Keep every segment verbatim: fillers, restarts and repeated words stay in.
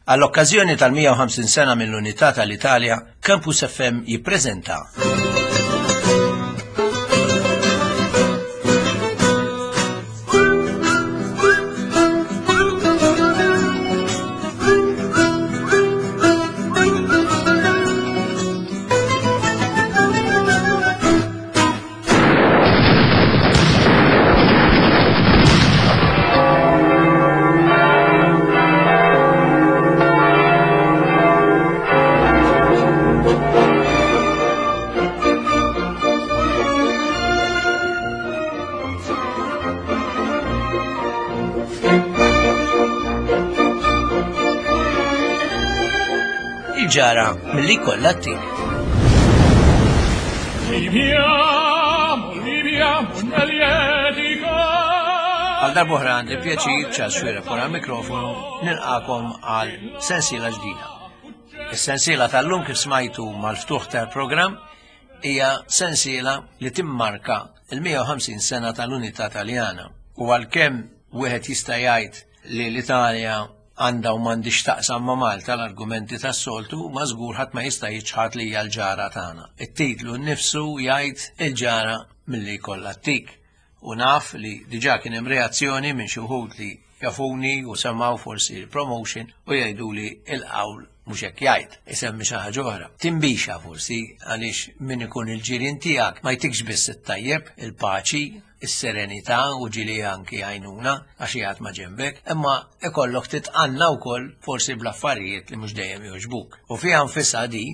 Għall-okkażjoni tal-mija u ħamsin sena mill-Unità tal-Italja, Campus F M jippreżenta Il-ġara milli kollha t-tik. Viviamo, viviamo nel Għal darb'oħra għandi pjaċir Charles Xuereb wara l-mikrofonu nilqakom għal sensiela ġdida. Is-sensiela tal-lum kif smajtu mal-ftuħ tal-programm hija sensiela li timmarka il-mija u ħamsin sena tal-Unità Taljana. U għalkemm wieħed jista' jgħid li l-Italja għandha u m'għandix taqsam ma' Malta l-argumenti tas-soltu, ma żgur ħadd ma jista' jiċħad li hija l-ġara tagħna. It-titlu nnifsu jgħid il-ġara milli jkollha t-tik. U naf li diġà kien hemm reazzjoni minn xi wħud li jafuni u semgħu forsi l-promotion u jgħidu li l-qawl mhux hekk jgħid, isemmi xi ħaġa oħra. Timbixa forsi għaliex min ikun il-ġirien tiegħek ma jtikx biss it-tajjeb, il-paċi, is-serenità u ġili anki għajnuna għax jgħid ma' ġenbek, imma ikollok titqanna wkoll forsi bl-affarijiet li mhux dejjem jogħġbuk. U fiha nfisha di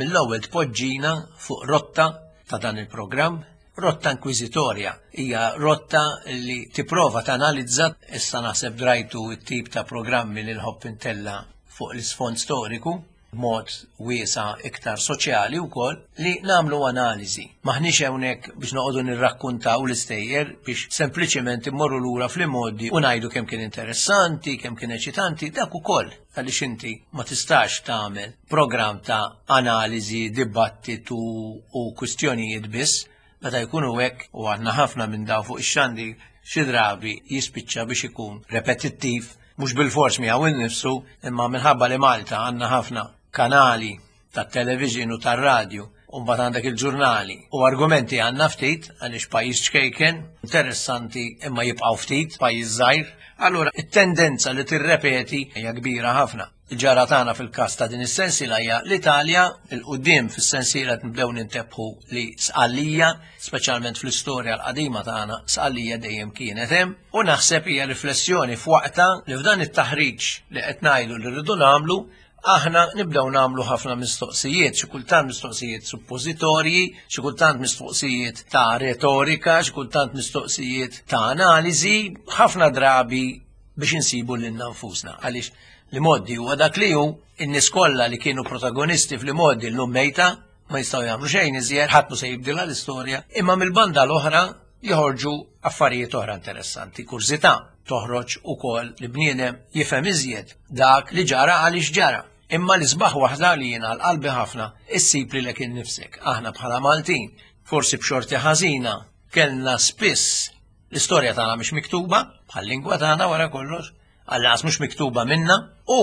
mill-ewwel tpoġġina fuq rotta ta' dan il-programm, rotta inkwiżitorja, hija rotta li tipprova tanalizza, issa naħseb drajtu t-tip ta' programmi li nħobb intella fuq l-isfond storiku, b'mod wiesa' iktar soċjali wkoll, li nagħmlu analiżi. Maħniex hawnhekk biex noqogħdu nirrakkuntaw l-istejjer biex sempliċement immorru lura fl-imgħoddi u ngħidu kemm kien interessanti, kemm kien eċitanti, dak ukoll għaliex inti ma tistax tagħmel programm ta' analiżi, dibattitu u kwistjonijiet biss, meta jkunu hekk u għandna ħafna minn daw fuq ix-xandi xi drabi jispiċċa biex ikun repetittiv, mhux bilfors miegħu innifsu, imma minħabba li Malta għandna ħafna kanali tat-television u tar-radju, u mbagħad għandek il-ġurnali u argumenti għandna ftit għaliex pajjiż ċkejken, interessanti imma jibqgħu ftit, pajjiż żgħir, allura it-tendenza li tirrepeti hija kbira ħafna. Il-ġara tagħna fil-każ ta' din is-sensiela hija l-Italja, il-qudiem fis-sensiela qed nibdew nintebħu li Sqallija, speċjalment fl-istorja l-qadima tagħna, Sqallija dejjem kienet hemm, u naħseb hija riflessjoni f'waqta li f'dan it-taħriġ li qed ngħidu li rridu nagħmlu, aħna nibdew nagħmlu ħafna mistoqsijiet, xi kultant mistoqsijiet suppożitorji, xi kultant mistoqsijiet ta' retorika, xi kultant mistoqsijiet ta' analiżi, ħafna drabi biex insibu lilna nfusna. Għaliex li moddi huwa dak li hu, in-nies kollha li kienu protagonisti fl-modi llum mejta, ma jistgħu jagħmlu xejn iżjed, ħadd mhu se jibdilha l-istorja, imma mill-banda l-oħra joħorġu affarijiet oħra interessanti, kurżità toħroġ ukoll li bniedem jifhem iżjed dak li ġara għaliex ġara. Imma l-isbaħ waħda li jiena għal qalbi ħafna issib lilek innifsek. Aħna bħala Maltin, forsi b'xorti ħażina, kellna spiss l-istorja tagħna mhix miktuba, bħal-lingwa tagħna wara kollox, għall-anqas mhux miktuba minna, u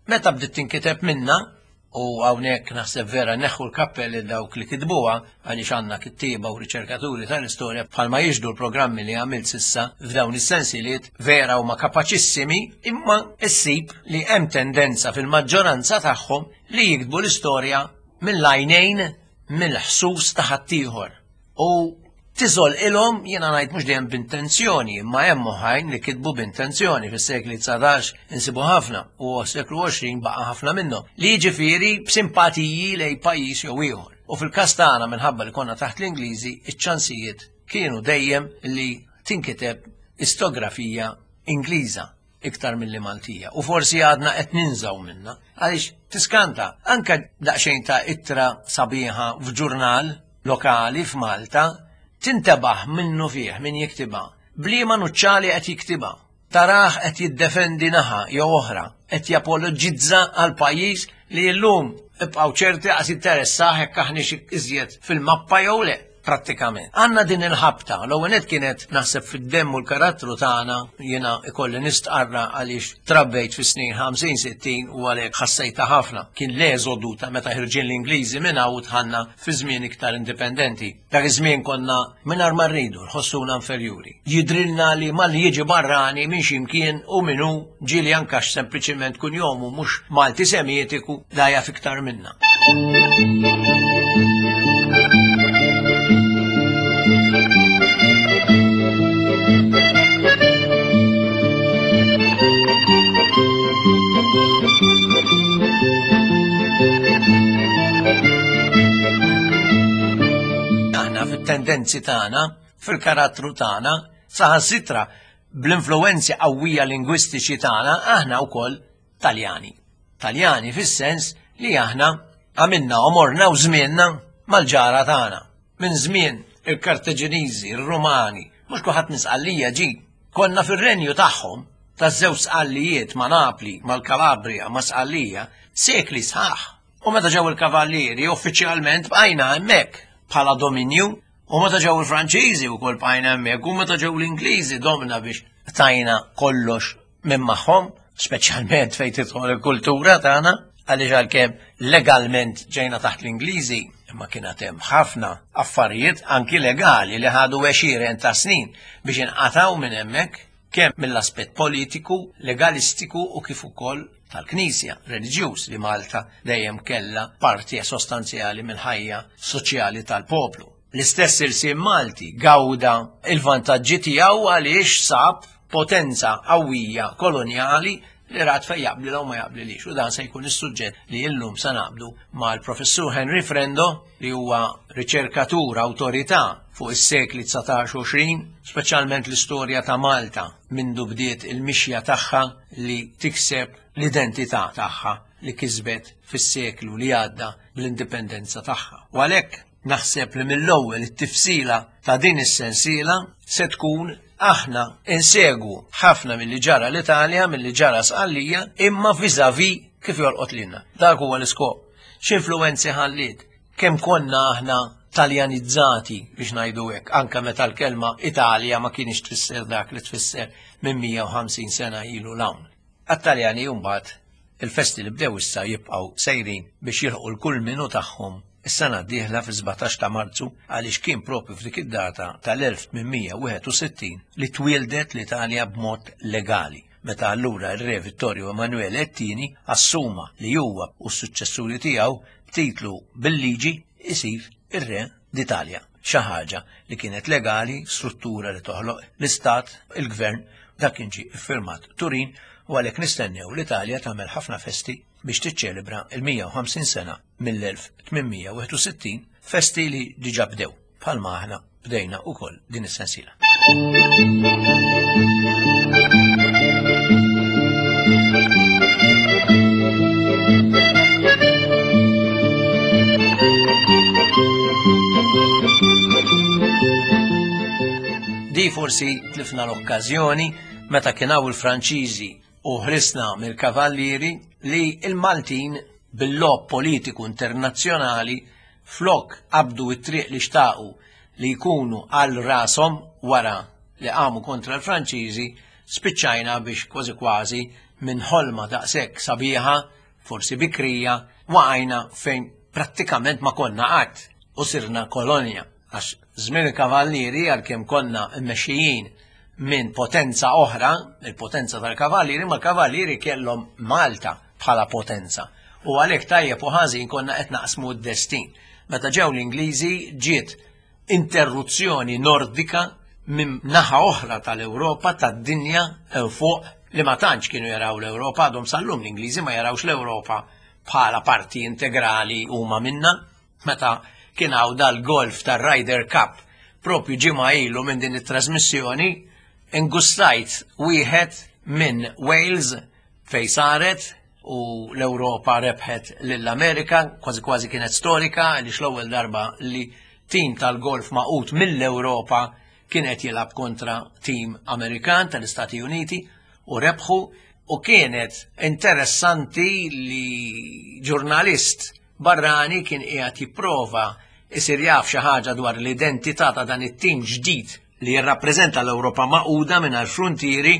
meta bdiet tinkiteb minna, u hawnhekk naħseb vera neħħu l-kappell lil dawk li kitbuha, għaliex għandna kittieba u riċerkaturi tal-istorja bħalma jixhdu l-programmi li għamilt sissa f'dawn is-sensiliet vera huma kapaċissimi, imma issib li hemm tendenza fil-maġġoranza tagħhom li jiktbu l-istorja mill-għajnejn mill-ħsus ta' ħaddieħor. U tiżol ilhom, jiena ngħid mhux dejjem b'intenzjoni, imma hemm oħrajn li kitbu b'intenzjoni fis-sekli dsatax insibu ħafna u s-seklu għoxrin baqa' ħafna minnhom, li jiġifieri b'simpatiji lejn pajjiż jew ieħor. U fil-każ tagħna minħabba li konna taħt l-Ingliżi, iċ-ċansijiet kienu dejjem li tinkiteb istografija Ingliża iktar milli Maltija. U forsi għadna qed ninżaw minna, għaliex tiskanta anke daqsxejn ta' ittra sabiħa f'ġurnal lokali f'Malta tintebaħ minnu fih min jiktibha, bliema nuċċali qed jiktibha, taraħ qed jiddefendi naħa jew oħra, qed japologizza għal pajjiż li llum ibqgħu ċerti qas interessah jekk aħniex iżjed fil-mappa jew le. prattikament. Għandna din il-ħabta, l-ewwel nett kienet naħseb fid-demm u l-karattru tagħna, jiena ikolli nistqarra għaliex trabbejt fis-snin ħamsin sittin u għalhekk ħassejta ħafna. Kien l-eżodu ta' meta ħirġin l-Ingliżi minn hawn u dħalna fi żmien iktar indipendenti. Dak iż-żmien konna mingħajr ma rridu nħossuna inferjuri. Jidrilna li malli jiġi barrani minn x'imkien u min hu ġieli anke sempliċiment kunjomu mhux Malti Semitiku da jaf iktar minna. Aħna fit-tendenzi tagħna, fil-karattru tagħna, saħansitra bl-influenzi qawwija lingwistiċi tagħna, aħna wkoll Taljani. Taljani fis-sens li aħna għamilna għomorna u żmienna mal-ġara tagħna. Minn żmien il-Kartaġiniżi, il-Rumani, mhux kulħadd minn Sqallija ġi. Konna fir-renju tagħhom taż-żewġ Sqallijiet ma' Napli, mal-Kalabria, ma' Sqallija, sekli sħaħ. U meta ġew il-Kavallieri uffiċjalment bqajna hemmhekk bħala dominju, u meta ġew il-Franċiżi wkoll bqajna hemmhekk, u meta ġew l-Ingliżi domna biex tajna kollox minn magħhom, speċjalment fejn tidħol il-kultura tagħna, għaliex għalkemm legalment ġejna taħt l-Ingliżi, imma kien hemm ħafna affarijiet anki legali li ħadu għexieren ta' snin biex inqataw minn hemmhekk, kemm mill-aspett politiku, legalistiku u kif ukoll tal-Knisja, reliġjuż li Malta dejjem kellha parti sostanzjali mill-ħajja soċjali tal-poplu. L-istess irsiem Malti gawda il-vantaġġi tiegħu għaliex sab potenza qawwija kolonjali li rat fejn jaqbli u ma jaqblilix. U dan se jkun is-suġġett li llum se naqbdu mal-professur Henry Frendo, li huwa riċerkatur awtorità fuq is-sekli dsatax u għoxrin, speċjalment l-istorja ta' Malta mindu bdiet il-mixja tagħha li tikseb l-identità tagħha li kisbet fis-seklu li għadda bl-indipendenza tagħha. U għalhekk naħseb li mill-ewwel it-tifsila ta' din is-sensiela se tkun aħna insegwu ħafna milli ġara l-Italja, milli ġara Sqallija, imma vis-à-vis kif jolqot lilna. Dak huwa l-iskop. X'influwenzi ħalliet? Kemm konna aħna taljanizzati biex ngħidu hekk, anke meta l-kelma Italja ma kienx tfisser dak li tfisser minn mija u ħamsin sena ilu l-hawn. Għat-Taljani mbagħad il-festi li bdew issa jibqgħu sejrin biex jilħqu l-kulminu tagħhom is-sena d-dieħla fis-sbatax ta' Marzu, għaliex kien propju f'dik id-data tal-elf tmien mija wieħed u sittin li twieldet l-Italja b'mod legali, meta allura r-re Vittorio Emanuele it-tieni assuma li huwa u s-suċċessuri tiegħu b'titlu bil-liġi isir ir-re d'Italja. Xi ħaġa li kienet legali, struttura li toħloq l-Istat, il-Gvern, dak kien ġie iffirmat Turin, u għalhekk nistennew l-Italja tagħmel ħafna festi biex tiċċelebra il-mija u ħamsin sena mill-elf tmien mija wieħed u sittin, festi li diġà bdew bħalma aħna bdejna wkoll din is-sensiela. Di forsi tlifna l-okkażjoni meta kien hawn il-Franċiżi u ħrisna mill-Kavallieri li il-Maltin bil-lob politiku internazzjonali flok qabdu it-triq li xtaqu li jkunu għal rashom wara li qamu kontra l-Franċiżi, spiċċajna biex kważi kważi minn ħolma daqshekk sabiħa, forsi bikrija, waqajna fejn prattikament ma konna qatt u sirna kolonja. Għax żmien il-Kavallieri għalkemm konna mmexxijin minn potenza oħra, il-potenza tal-Kavallieri, ma l-Kavallieri kellhom Malta bħala potenza. U għalhekk tajjeb u ħażin konna qed naqsmu d-destin. Meta ġew l-Ingliżi ġiet interruzzjoni nordika minn naħa oħra tal-Ewropa, tad-dinja fuq, li ma tantx kienu jaraw l-Ewropa, għadhom sal-lum l-Ingliżi ma jarawx l-Ewropa bħala parti integrali huma minna. Meta kien hawn dal-golf tar-Ryder Cup propju ġimgħa ilu minn din it-trasmissjoni, ingustajt wieħed minn Wales fej saret u l-Ewropa rebħet lill-Amerika, kważi kważi kienet storika għaliex l-ewwel darba li tim tal-golf maqut mill-Ewropa kien qed jilgħab kontra tim Amerikan tal-Istati Uniti u rebħu, u kienet interessanti li ġurnalist barrani kien qiegħed jipprova isir jaf xi ħaġa dwar l-identità ta' dan it-tim ġdid li jirrappreżenta l-Ewropa magħquda mingħajr fruntieri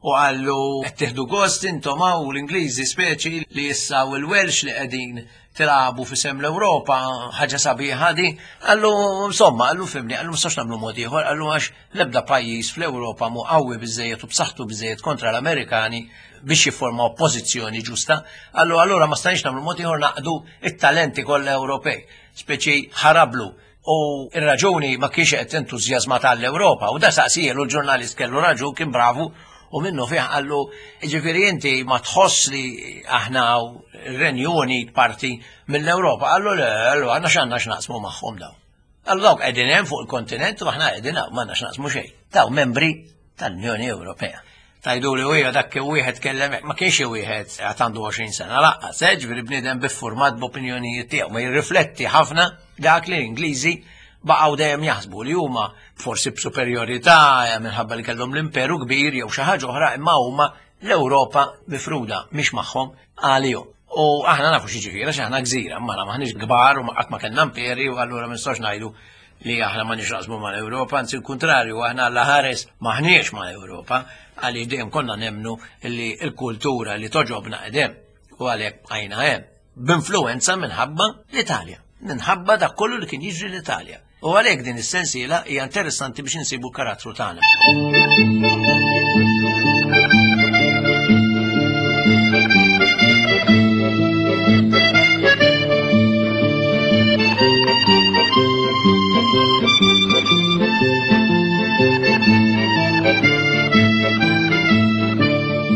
u qallu qed tieħdu gost intom hawn l-Ingliżi speċi li issa u l-Welsh li qegħdin tilagħbu f'isem l-Ewropa, ħaġa sabiħa di. Qallu insomma, qallu fimni, qallu ma nagħmlu mod ieħor, qallu għax l-ebda pajjiż fl-Ewropa mu qawwi biżejjed u b'saħħtu biżejjed kontra l-Amerikani biex jifforma oppożizzjoni ġusta. Qallu allura ma stajniex nagħmlu mod ieħor naqdu it-talenti kollha Ewropej, speċi ħarablu. U ir-raġuni ma kienx qed entużjażma tal-Ewropa u da saqsielu l-ġurnalist kellu raġun, kien bravu u minnu fih qallu ġifieri inti ma tħoss li aħna r-Renju Unit parti mill-Ewropa. Qallu le, qallu aħna x'għandna x'naqsmu magħhom daw. Qallu dawk qegħdin hemm fuq il-kontinent u aħna qegħdin hawn m'għandna x'naqsmu xejn. Daw membri tal-Unjoni Ewropea. Tajdu li huwa dak kien wieħed kellem, ma kienx wieħed għad għandu għoxrin sena laqqas, eh, ġifieri bniedem biffurmat b'opinjonijiet tiegħu, ma jirrifletti ħafna dak li l-Ingliżi baqgħu dejjem jaħsbu li huma forsi b'superjorità minħabba li kellhom l-imperu kbir jew xi ħaġa oħra, imma huma l-Ewropa mifruda mhix magħhom għalihom. U aħna nafu xi ġifieri għax aħna gżira, imma aħna maħniex kbar u qatt ma kellna imperi u allura ma nistgħux ngħidu li aħna ma nixraqsmu mal-Ewropa, anzi l-kuntrarju, aħna alla ħares maħniex mal-Ewropa, għaliex dejjem konna nemnu li l-kultura li toġobna qedem u għalhekk bqajna hemm. B'influwenza minħabba l-Italja, minħabba dak kollu li kien jiġri l-Italja. U għalhekk din is-sensiela hija interessanti biex insibu karattru tagħna.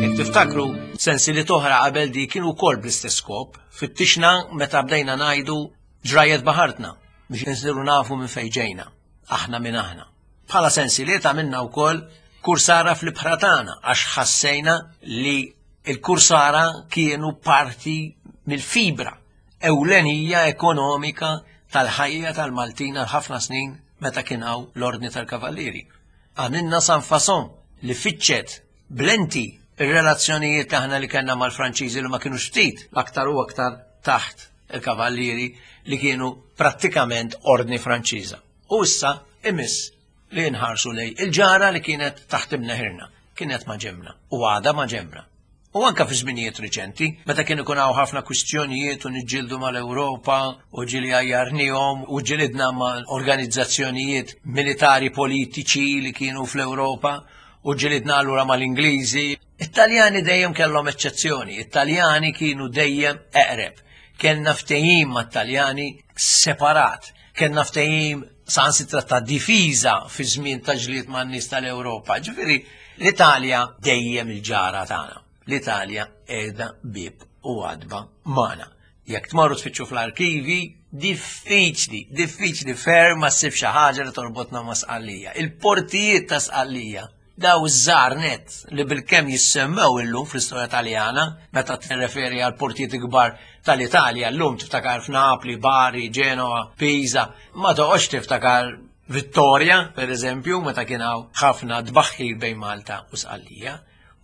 Jekk tiftakru, sensili toħra qabel di kienu wkoll bl-istess skop, fittixna meta bdejna ngħidu ġrajet baħartna biex nsiru nafu minn fejn ġejna, aħna minn aħna. Bħala sensiliet għamilna wkoll kursara fl-ibħra tagħna għax ħassejna li l-kursara kienu parti mill-fibra ewlenija ekonomika tal-ħajja tal-Maltin għal ħafna snin meta kien hawn l-Ordni tal-Kavallieri. Għamilna San Fason li fittxet blenti ir-relazzjonijiet aħna li kellna mal-Franċiżi li ma kienux ftit aktar u aktar taħt il-Kavallieri li kienu prattikament ordni Franċiża. U issa imiss li nħarsu lej il-ġara li kienet taħt imneħirna, kienet ma' ġemna u għada ma' ġemna. U anka fi żminijiet riċenti, meta kien ikun hawn ħafna kwistjonijiet u niġġieldu mal-Ewropa u ġieli għajjarnihom u ġilidna ma' organizzazzjonijiet militari politiċi li kienu fl-Ewropa u ġilidna allura mal-Ingliżi. It-Taljani dejjem kellhom eċċezzjoni, it-Taljani kienu dejjem eqreb. Kellna ftehim mat-Taljani separat, kellna ftehim sansitra ta' difiża fi żmien ta' ġlied man-nies tal-Ewropa. Ġifieri l-Italja dejjem il-ġara tagħna. L-Italja qiegħda bieb u għadba magħna. Jekk tmorru tfittxu fl-arkivi, diffiċli, diffiċli ferm ma ssib xi ħaġa li torbotna ma' Sqallija. Il-portijiet ta' Sqallija, daw iż-żgħar nett li bilkemm jissemmew illum fl-istorja Taljana, meta tirreferi għal portijiet kbar tal-Italja, llum tiftakar f'Napli, Bari, Genoa, Pisa, ma toqgħodx tiftakar Vittoria, per eżempju, meta kien hawn ħafna tbaħħir bejn Malta u Sqallija.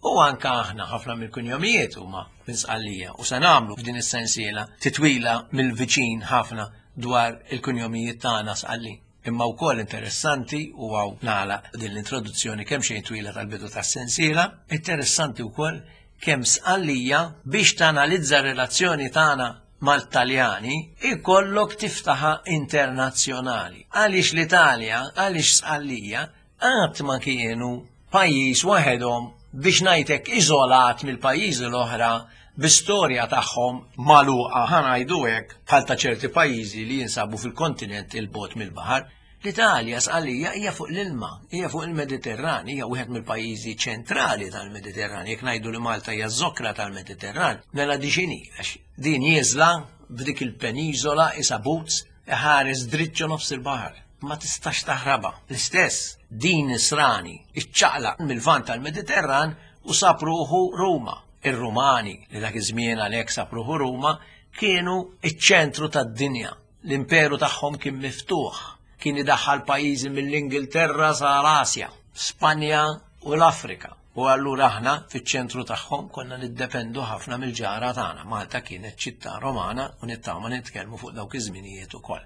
U anka aħna ħafna mill-kunjomijiet huma minn Sqallija u se nagħmlu f'din is-sensiela titwila mill-viċin ħafna dwar il-kunjomijiet tagħna Sqalli. Imma wkoll interessanti u hawn nagħlaq din l-introduzzjoni kemm xejn twila tal-bidu tas-sensiela, interessanti wkoll kemm Sqallija biex tanalizza r-relazzjoni tagħna mal-Taljani ikollok tiftaħa internazzjonali. Għaliex l-Italja, għaliex Sqallija qatt ma kienu pajjiż waħedhom biex ngħidlek iżolat mill-pajjiżi l-oħra bi-storja tagħhom magħluqa ħa ngħidu hekk bħal ta' ċerti pajjiżi li jinsabu fil-kontinent il-bogħod mill-baħar. L-Italja Sqallija hija fuq l-ilma, hija fuq il-Mediterran, hija wieħed mill-pajjiżi ċentrali tal-Mediterran. Jekk ngħidu li Malta hija ż-żokra tal-Mediterran, mela di x'inhi għax din nieżla b'dik il-peniżola isa boots iħares dritt ġo nofs il-baħar. Ma tistax taħrabha. L-istess din Nisrani iċċaqlaq mill-vant tal-Mediterran u sab ruħu Ruma. Ir-Rumani li dak iż-żmien għalhekk sab ruħu Ruma kienu iċ-ċentru tad-dinja. L-imperu tagħhom kien miftuħ, kien idaħħal pajjiżi mill-Ingilterra sa l-Asja, Spanja u l-Afrika. U allura aħna fiċ-ċentru tagħhom konna niddependu ħafna mill-ġara tagħna. Malta kienet ċittà Romana u nittama nitkellmu fuq dawk iż-żminijiet ukoll.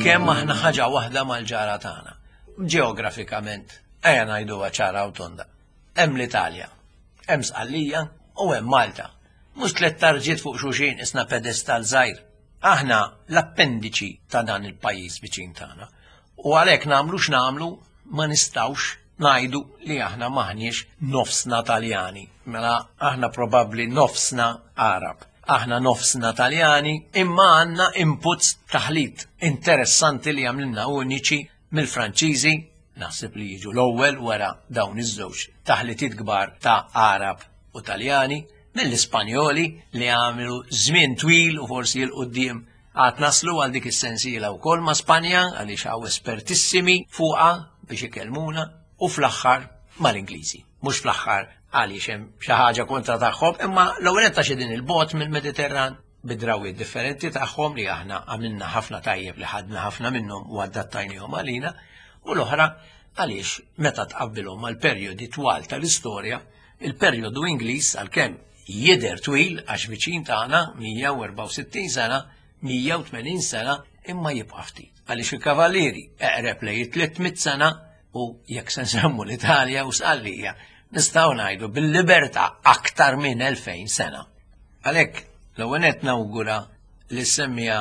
Kemm aħna ħaġa waħda mal-ġara tagħna. Ġeografikament, ejja ngħiduha ċara u tonda. Hemm l-Italja, hemm Sqallija u hemm Malta. Mhux tliet tarġiet fuq xulxin isna pedestal żgħir. Aħna l-appendiċi ta' dan il-pajjiż viċin tagħna. U għalhekk nagħmlu x'nagħmlu ma nistgħux ngħidu li aħna maħniex nofsna Taljani. Mela aħna probabbli nofsna Arab. Aħna nofsna Taljani, imma għandna inputs taħlit interessanti li għamlilna uniċi mill-Franċiżi, naħseb li jiġu l-ewwel wara dawn iż-żewġ taħlitiet kbar ta' Arab u Taljani, mill-Ispanjoli li għamlu żmien twil u forsi 'l quddiem għad naslu għal dik is-sensiela wkoll ma' Spanja għaliex hawn espertissimi fuqha biex ikellmuna, u fl-aħħar mal-Ingliżi. Mhux fl-aħħar għaliex hemm xi ħaġa kontra tagħhom, imma l-ewwel ta' xi din il-bot mill-Mediterran bid-drawiet differenti tagħhom li aħna għamilna ħafna tajjeb li ħadna ħafna minnhom u adattajnihom għalina, u l-oħra għaliex meta tqabbilhom mal-perjodi twal tal-istorja, il-perjodu Ingliż għalkemm jidher twil għax viċin tagħna mija u erbgħa u sittin sena, mija u tmenin sena, imma jibqa' ftit. Għaliex il-Kavallieri eqreb lejn tliet mitt sena, u jekk se nsemmu l-Italja u Sqallija, nistgħu ngħidu bil-libertà aktar minn elfejn sena. Għalhekk l-ewwel nett nawgura li semmija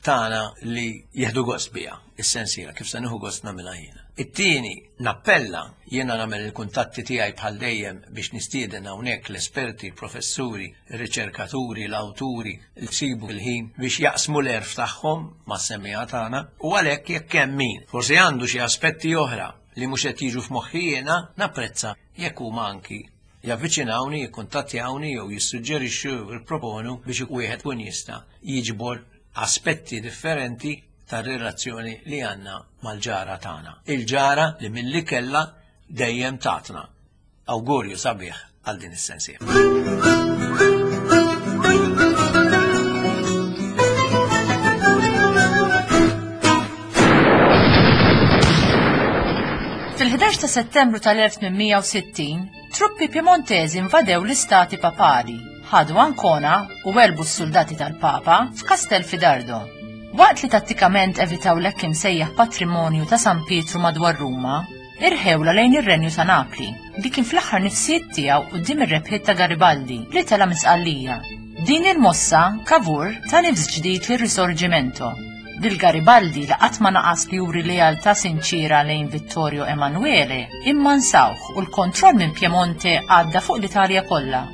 tagħna li jieħdu gost biha is-sensiela kif se nieħu gost nagħmilha jiena. It-tieni nappella jiena nagħmel il-kuntatti tiegħi bħal dejjem biex nistieden hawnhekk l-esperti, il-professuri, ir-riċerkaturi, l-awturi li jsibu l-ħin biex jaqsmu l-għerf tagħhom mas-semmiegħa tagħna, u għalhekk jekk hemm min forsi għandu xi aspetti oħra li mhux qed jiġu f'moħħi jiena, napprezza jekk huma anki javviċinawni, jikkuntattjawni jew jissuġġerixxu jew jipproponu biex wieħed kun jista' jiġbor aspetti differenti tar-relazzjoni li għandna mal-ġara tagħna. Il-ġara li milli kellha dejjem tatna. Awgurju sabiħ għal din is-sensiela. Fil-ħdax ta' Settembru tal-elf tmien mija u sittin, truppi Piemontesi invadew l-istati papali, ħadu Ancona u werbu s-soldati tal-Papa f'Castel Fidardo. Waqt li tattikament evitaw l-hekk imsejjaħ patrimonju ta' San Pietru madwar Ruma, irħewla lejn ir-Renju ta' Napli, li kien fl-aħħar nifsijiet tiegħu quddiem ir-rebħiet ta' Garibaldi li tela' minn Sqallija. Din il-mossa Cavour ta' nifs ġdid lir-Risorgimento. Lil Garibaldi li qatt ma naqas li juri lealtà sinċira lejn Vittorio Emanuele, imma nsawh u l-kontroll minn Piemonte għadda fuq l-Italja kollha.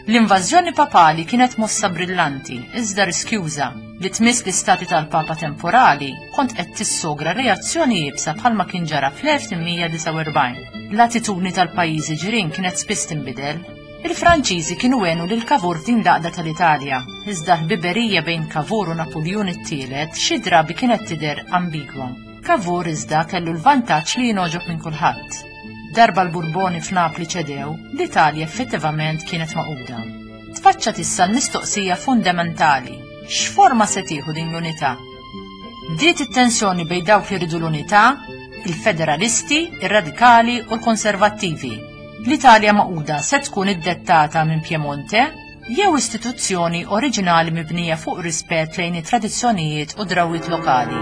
L-invażjoni papali kienet mossa brillanti, iżda riskjuża, li tmiss l-istati tal-Papa temporali kont qed tissogra reazzjoni iebsa bħalma kien ġara fl-elf tmien mija disgħa u erbgħin. L-attitudni tal-pajjiżi ġirien kienet spiss tinbidel. Il-Franċiżi kienu għenu lil Cavour f'din l-għaqda tal-Italja, iżda l-ħbiberija bejn Cavour u Napoleon it-tielet xi drabi kienet tidher ambigwa. Cavour iżda kellu l-vantaġġ li jingħoġob minn kulħadd. Darba l-Burboni f'Napli ċedew, l-Italja effettivament kienet maquda. Tfaċċat issa l-mistoqsija fundamentali: x'forma se tieħu din l-unità? Bdiet it-tensjoni bejn dawk li rridu l-unità, il-federalisti, ir-radikali u l-konservattivi. L-Italja maquda se tkun iddettata minn Piemonte jew istituzzjoni oriġinali mibnija fuq rispett lejn it-tradizzjonijiet u drawwiet lokali.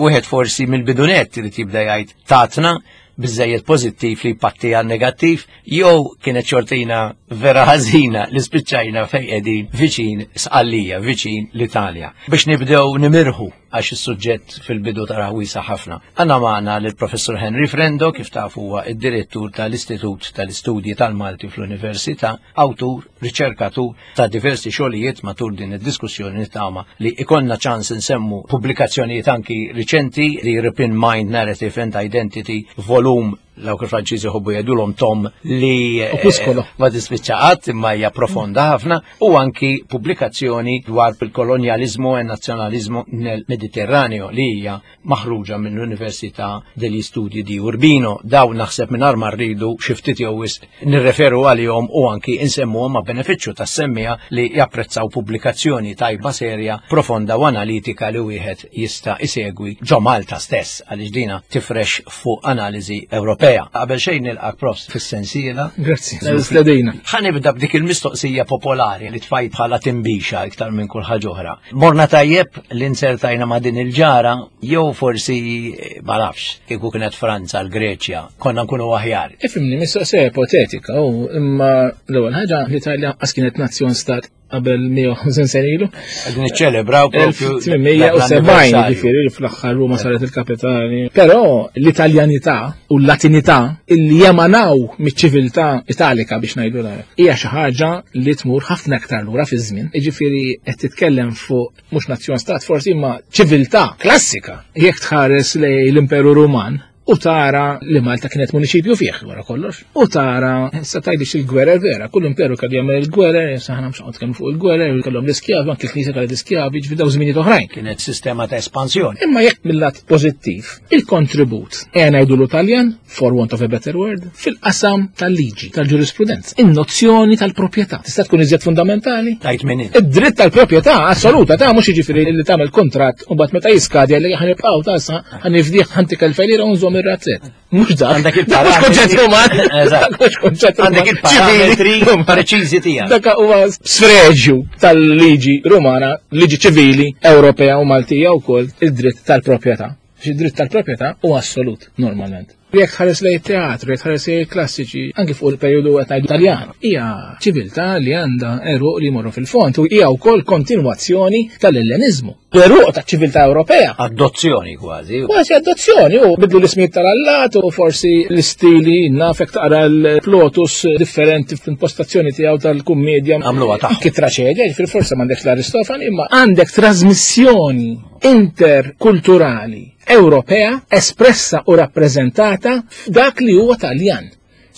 Wieħed forsi mill-bidunet li tibda jgħid tatna biżejjed pożittiv li patti għal negattiv, jew kienet xortina vera ħażina li spiċċajna fejn qegħdin viċin Sqallija, viċin l-Italja. Biex nibdew nimirħu għax is-suġġett fil-bidu tara wiesa ħafna. Għandna magħna lill-Professur Henry Frendo, kif taf huwa id-direttur tal-Istitut tal-Istudji tal-Malti fl-Università, awtur, riċerkatur ta' diversi xogħlijiet matul din id-diskussjoni nittama li ikollna ċans nsemmu pubblikazzjonijiet anki riċenti, The European Mind, Narrative and Identity, volum Dawk il-Franċiżi jħobbu jgħidulhom tom li eh, Opuskolo. ma tispiċċa qatt imma hija profonda ħafna u anki pubblikazzjoni dwar il-kolonjaliżmu e nazzjonaliżmu nel Mediterraneo li hija maħruġa mill-Università degli Studi di Urbino. Dawn naħseb mingħajr ma rridu xi ftit jew wisq nirreferu għalihom u anki insemmuhom ma' benefiċċju tas-semmija li japprezzaw pubblikazzjoni tajba serja, profonda u analitika li wieħed jista' isegwi ġo Malta stess għaliex dina tifrex fuq analiżi Ewropea. Qabel xejn nilqak profs fis-sensiela. Grazzi. Stedina. Ħa nibda b'dik il-mistoqsija popolari li tfajt bħala timbixa iktar minn kull ħaġa oħra. Morna tajjeb li nsertajna ma' din il-ġara, jew forsi eh, ma nafx, kieku kienet Franza, l-Greċja, konna nkunu aħjar. Ifhimni, mistoqsija ipotetika, u imma l-ewwel ħaġa l-Italja qas kienet nazzjon stat qabel mija u ħamsin sena ilu. Qegħdin niċċelebraw propju elf tmien mija u sebgħin, ġifieri li fl-aħħar Ruma saret il-kapitali. Però l-Italjanità u l-Latinità illi jemanaw miċ-ċiviltà Italika biex ngħidu la hija xi ħaġa li tmur ħafna aktar lura fiż-żmien. Jiġifieri qed titkellem fuq mhux nazzjon stat forsi imma ċiviltà klassika. Jekk tħares lejn l-Imperu Ruman, u tara li Malta kienet municipju fih wara kollox. U tara, sa tgħidix il-gwerer vera, kull imperu kellu jagħmel il-gwerer, sa ħana mhux nitkellmu fuq il-gwerer, kellhom l-iskjavi, anke l-Knisja kellha l-iskjavi, ġifieri daw żminijiet oħrajn. Kienet sistema ta' espansjoni. Imma jekk mill-lat pożittiv, il-kontribut, ejja ngħidu l-Italjan, for want of a better word, fil-qasam tal-liġi, tal-ġurisprudenza, in-nozzjoni tal-proprjetà. Tista' tkun iżjed fundamentali? Tajt minn int. Id-dritt tal-proprjetà assoluta ta' mhux jiġifieri li tagħmel kontratt u mbagħad meta jiskadi li ħa nibqgħu ta' sa ħa nifdih ħa ntik elfejn lira u nżomm ir-razzett. Mhux dak. Għandek Dak mhux il-parametri. konċett Ruman. Eżatt. Dak mhux konċett Ruman. Għandek il-parametri Ċivili. preċiżi tiegħek. Dak huwa sfreġju tal-liġi Rumana, liġi ċivili Ewropea u Maltija wkoll id-dritt tal-proprjetà. Id-dritt tal-proprjetà huwa assolut normalment. Jekk tħares lejn teatru, jekk tħares lejn klassiċi, anki fuq il-perjodu qed ngħidu Taljan, hija ċiviltà li għandha eruq li jmorru fil-fond u hija wkoll kontinwazzjoni tal-Elleniżmu. L-eruq taċ-ċiviltà Ewropea. Adozzjoni kważi. Kważi adozzjoni, u bidlu l-ismijiet tal-allat u forsi l-istili, nafek taqra l-Plotus differenti fl-impostazzjoni tiegħu tal-kummedja. Għamluha tagħhom. Anki traċedja, ġifieri forse m'għandekx l-Aristofan, imma għandek trasmissjoni interkulturali Ewropea espressa u rappreżentata f'dak li huwa Taljan.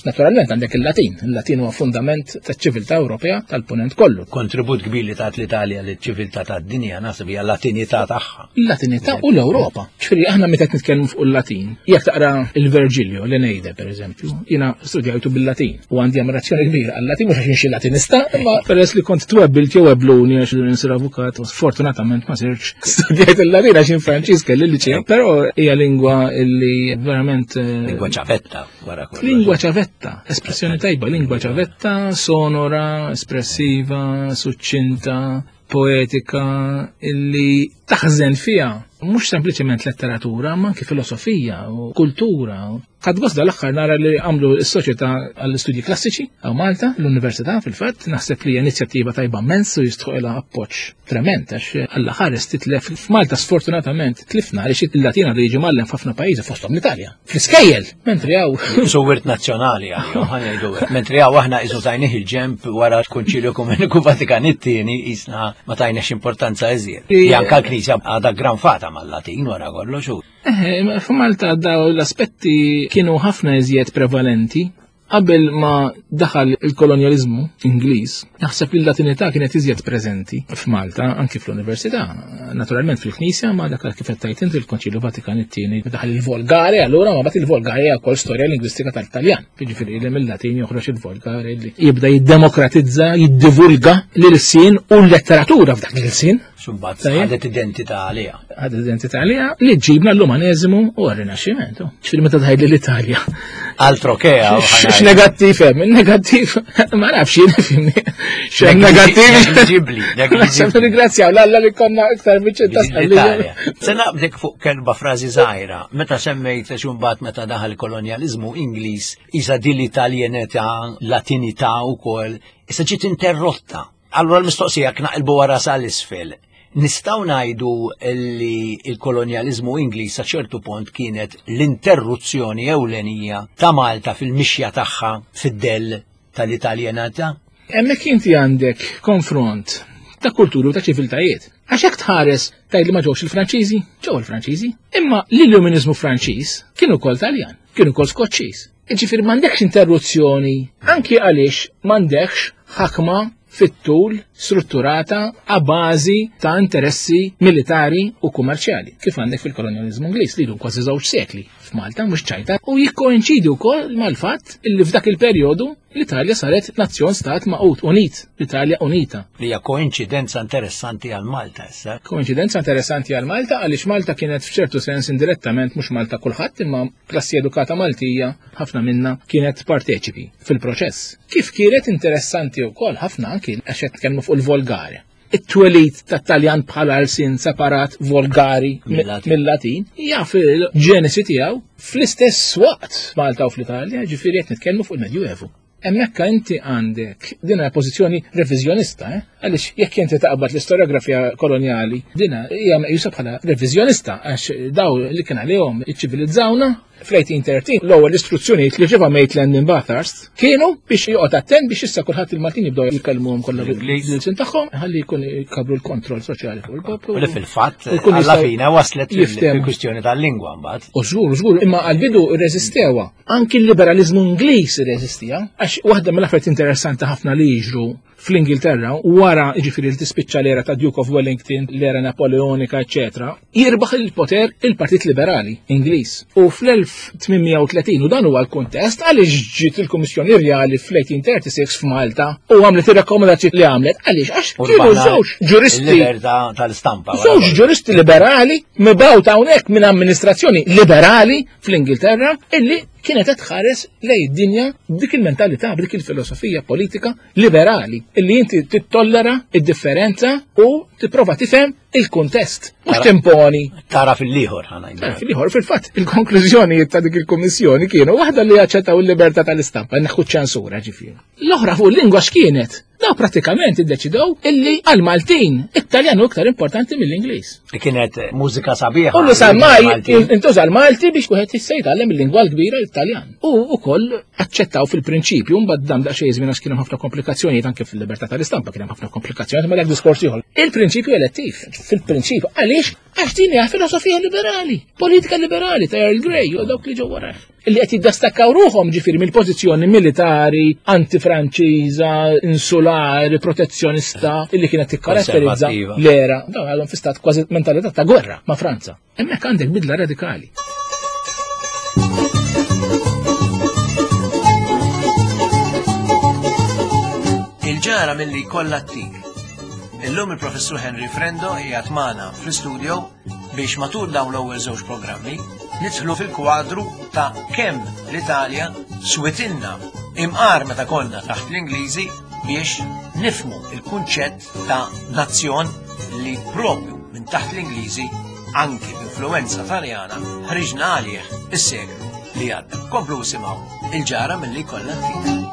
Naturalment għandek il-Latin. Il-Latin huwa fundament taċ-ċiviltà Ewropea tal-punent kollu. Kontribut kbir li tat l-Italja liċ-ċiviltà tad-dinja naħseb hija l-Latinità tagħha. Il-Latinità u l-Ewropa. Ġifieri aħna meta qed nitkellmu fuq il-Latin, jekk taqra il-Virgilio, l-Eneide per eżempju, jiena studjajtu bil-Latin u għandi ammirazzjoni kbira għal-Latin mhux għax xi Latinista, imma peress li kont twebbilt jew ebluni għax insir avukat, u sfortunatament ma sirx studjajt il-Latin għax in Franċiż kelli l-liċew, però hija lingwa illi verament eh, Lingwa ċavetta wara kollox. Lingwa ċavetta, espressjoni tajba, lingwa ċavetta, sonora, espressiva, suċċinta, poetika, illi taħżen fija mhux sempliċement letteratura, ma anki filosofija u kultura. Ħadt gost dal-aħħar nara li għamlu s-soċjetà għall-istudji klassiċi hawn Malta, l-Università fil-fatt, naħseb li hija inizjattiva tajba immens u jistħoqilha appoġġ trement għax Alla ħares titlef f'Malta sfortunatament tlifna għaliex il-Latina għadu jiġi mgħallem f'ħafna pajjiżi fosthom l-Italja. Fl-iskejjel, mentri hawn Su wirt nazzjonali għalihom, ħa ngħidu hekk. Mentri hawn aħna isu tajnih il-ġemp wara l-Konċilju Ekumeniku Vatikan it-tieni jisna ma tajniex importanza iżjed. Li anka l-Knisja għadha granfata mal-Latin wara kollox u. Eh, f'Malta daw l-aspetti kienu ħafna iżjed prevalenti. Qabel ma daħal il-kolonjalizmu Ingliż, naħseb li l-Latinità kienet iżjed preżenti f'Malta, anki fl-Università. Naturalment fil-Knisja, ma dak kif qed tgħid inti il-Konċilju Vatikan it-tieni daħal il-Volgare, allura ma bat il-Volgare hija wkoll storja lingwistika tal-Taljan. Jiġifieri li mill-Latin joħroġ il-Volgare li jibda jiddemokratizza, jiddivulga l-ilsien u l-letteratura f'dak l-ilsien. Sumbat Tajjeb. ħadet identità għaliha. Ħadet identità għaliha li ġibna l-umaneżmu u r-Rinaxximento. Ġifieri meta tgħid l-Italja. Altro che X'negattiv hemm? Negattiv ma nafx jien fimni. X'hemm negattiv? Negliġibbli, negliġibbli. Ringrazzjaw l-Alla li konna iktar viċin ta' L-Italja. Se naqbdek fuq kelba frażi żgħira, meta semmejt xumbat meta daħal kolonjalizmu Ingliż, isa din l-Italjenità, Latinità wkoll, issa ġiet interrotta. Allura l-mistoqsija knaqilbu wara sal-isfel. Nistgħu ngħidu li il-kolonjalizmu Ingliż sa ċertu punt kienet l-interruzzjoni ewlenija ta' Malta fil-mixja tagħha fid-dell tal-Italjenità? Hemmhekk inti għandek konfront ta' kulturi u ta' ċiviltajiet. Għax hekk tħares tgħid li ma ġewx il-Franċiżi, ġew il-Franċiżi. Imma l-Illuminizmu Franċiż kien ukoll Taljan. Kien ukoll Skoċċiż. Jiġifieri m'għandekx interruzzjoni, anki għaliex m'għandekx ħakma fit-tul strutturata a bażi ta' interessi militari u kummerċjali, kif għandek fil-kolonjaliżmu Ingliż li jdum kważi żewġ sekli f'Malta, mhux ċajta, u jikkoinċidi wkoll mal-fatt illi f'dak il-perjodu l-Italja saret nazzjon stat maqut, unit, l-Italja unita. Li hija koinċidenza interessanti għal Malta issa. Koinċidenza interessanti għal Malta għaliex Malta kienet f'ċertu sens indirettament mhux Malta kulħadd imma klassi edukata Maltija ħafna minna kienet parteċipi fil-proċess. Kif kienet interessanti wkoll ħafna anki għax qed nitkellmu fuq il-volgare. It-twelid tat-Taljan bħala lsien separat volgari mill-Latin hija fil-ġenesi tiegħu fl-istess waqt Malta u fl-Italja, ġifieri qed nitkellmu fuq il-Medjuevu. Hemmhekk inti għandek din hija pożizzjoni reviżjonista, eh? Għaliex jekk inti taqbad l-istoriografija kolonjali, din hija meqjusa bħala reviżjonista għax daw li kien għalihom iċċivilizzawna fl-eighteen thirteen l-ewwel istruzzjonijiet li ġiva Maitland minn Bathurst kienu biex joqgħod attent biex issa kulħadd il-Maltin jibdew jkellmuhom kollha bil-ilsien tagħhom ħalli jkun jkabru l-kontroll soċjali fuq il-poplu. U li fil-fatt U jkun alla jistgħu fina waslet jiftehmu. fil-kwistjoni tal-lingwa mbagħad. U żgur, żgur, imma għall-bidu rreżistewa. Anki l-liberalizmu Ingliż irreżistija, għax waħda mill-affarijiet interessanti ħafna li jiġru fl-Ingilterra wara jiġifieri li tispiċċa l-era ta' Duke of Wellington, l-era Napoleonika, eċċetera, jirbaħ il-poter il-Partit Liberali Ingliż. U fl-elf tmien u tletin, u dan huwa l-kuntest għaliex ġiet il-Kummissjoni Rjali fl-eighteen thirty-six f'Malta u għamlet ir-rakkomandazzjoni li għamlet għaliex għax U kienu rbaħna żewġ ġuristi il-libertà tal-istampa, wara Żewġ kollox. ġuristi liberali mibgħuta hawnhekk minn amministrazzjoni liberali fl-Ingilterra illi kienet qed tħares lejn id-dinja b'dik il-mentalità, b'dik il-filosofija politika liberali illi inti tittollera id-differenza u tipprova tifhem il-kuntest, mhux Tara- timponi. Tara fil-ieħor, ħa ngħidu. Tara fil-ieħor, fil-fatt, il-konklużjoni ta' dik il-kummissjoni kienu waħda li jaċċettaw il-libertà tal-istampa, neħħu ċensura ġifieri. L-oħra fuq il-lingwa x'kienet? Daw pratikament iddeċidew illi għal-Maltin it-Taljan hu iktar importanti mill-Ingliż. Li kienet mużika sabiħa. U li sar Maltin. maj intuża l-Malti biex wieħed jista' jitgħallem il-lingwa l-kbira l-Italjan. U wkoll aċċettaw fil-prinċipju, mbagħad dam daqsxejn żmien għax kien hemm ħafna komplikazzjonijiet anke fil-libertà tal-istampa kien hemm ħafna komplikazzjonijiet, ma dak diskors ieħor. Il-prinċipju elettiv, fil-prinċipju, għaliex? Għax din hija filosofija liberali, politika liberali ta' Earl Grey u dawk li ġew warah. Illi qed jiddistakkaw ruħhom ġifieri mill-pożizzjoni militari, antifranċiża, insulari, protezzjonista, illi kienet tikkaratterizza Konservattiva. l-era. Dawn għadhom fi stat kważi mentalità ta' gwerra ma' Franza. Hemmhekk għandek bidla radikali. Il-ġara milli kollha t-tik. Illum il-Professur Henry Frendo qiegħed magħna fl-istudio biex matul dawn l-ewwel żewġ programmi nidħlu fil-kwadru ta' kemm l-Italja switilna imqar meta konna taħt l-Ingliżi biex nifmu il-kunċett ta' nazzjon li propju minn taħt l-Ingliżi anki b'influenza Taljana ħriġna għalih is-seklu li għadda. Komplu simgħu il-ġara milli kollha t-tik.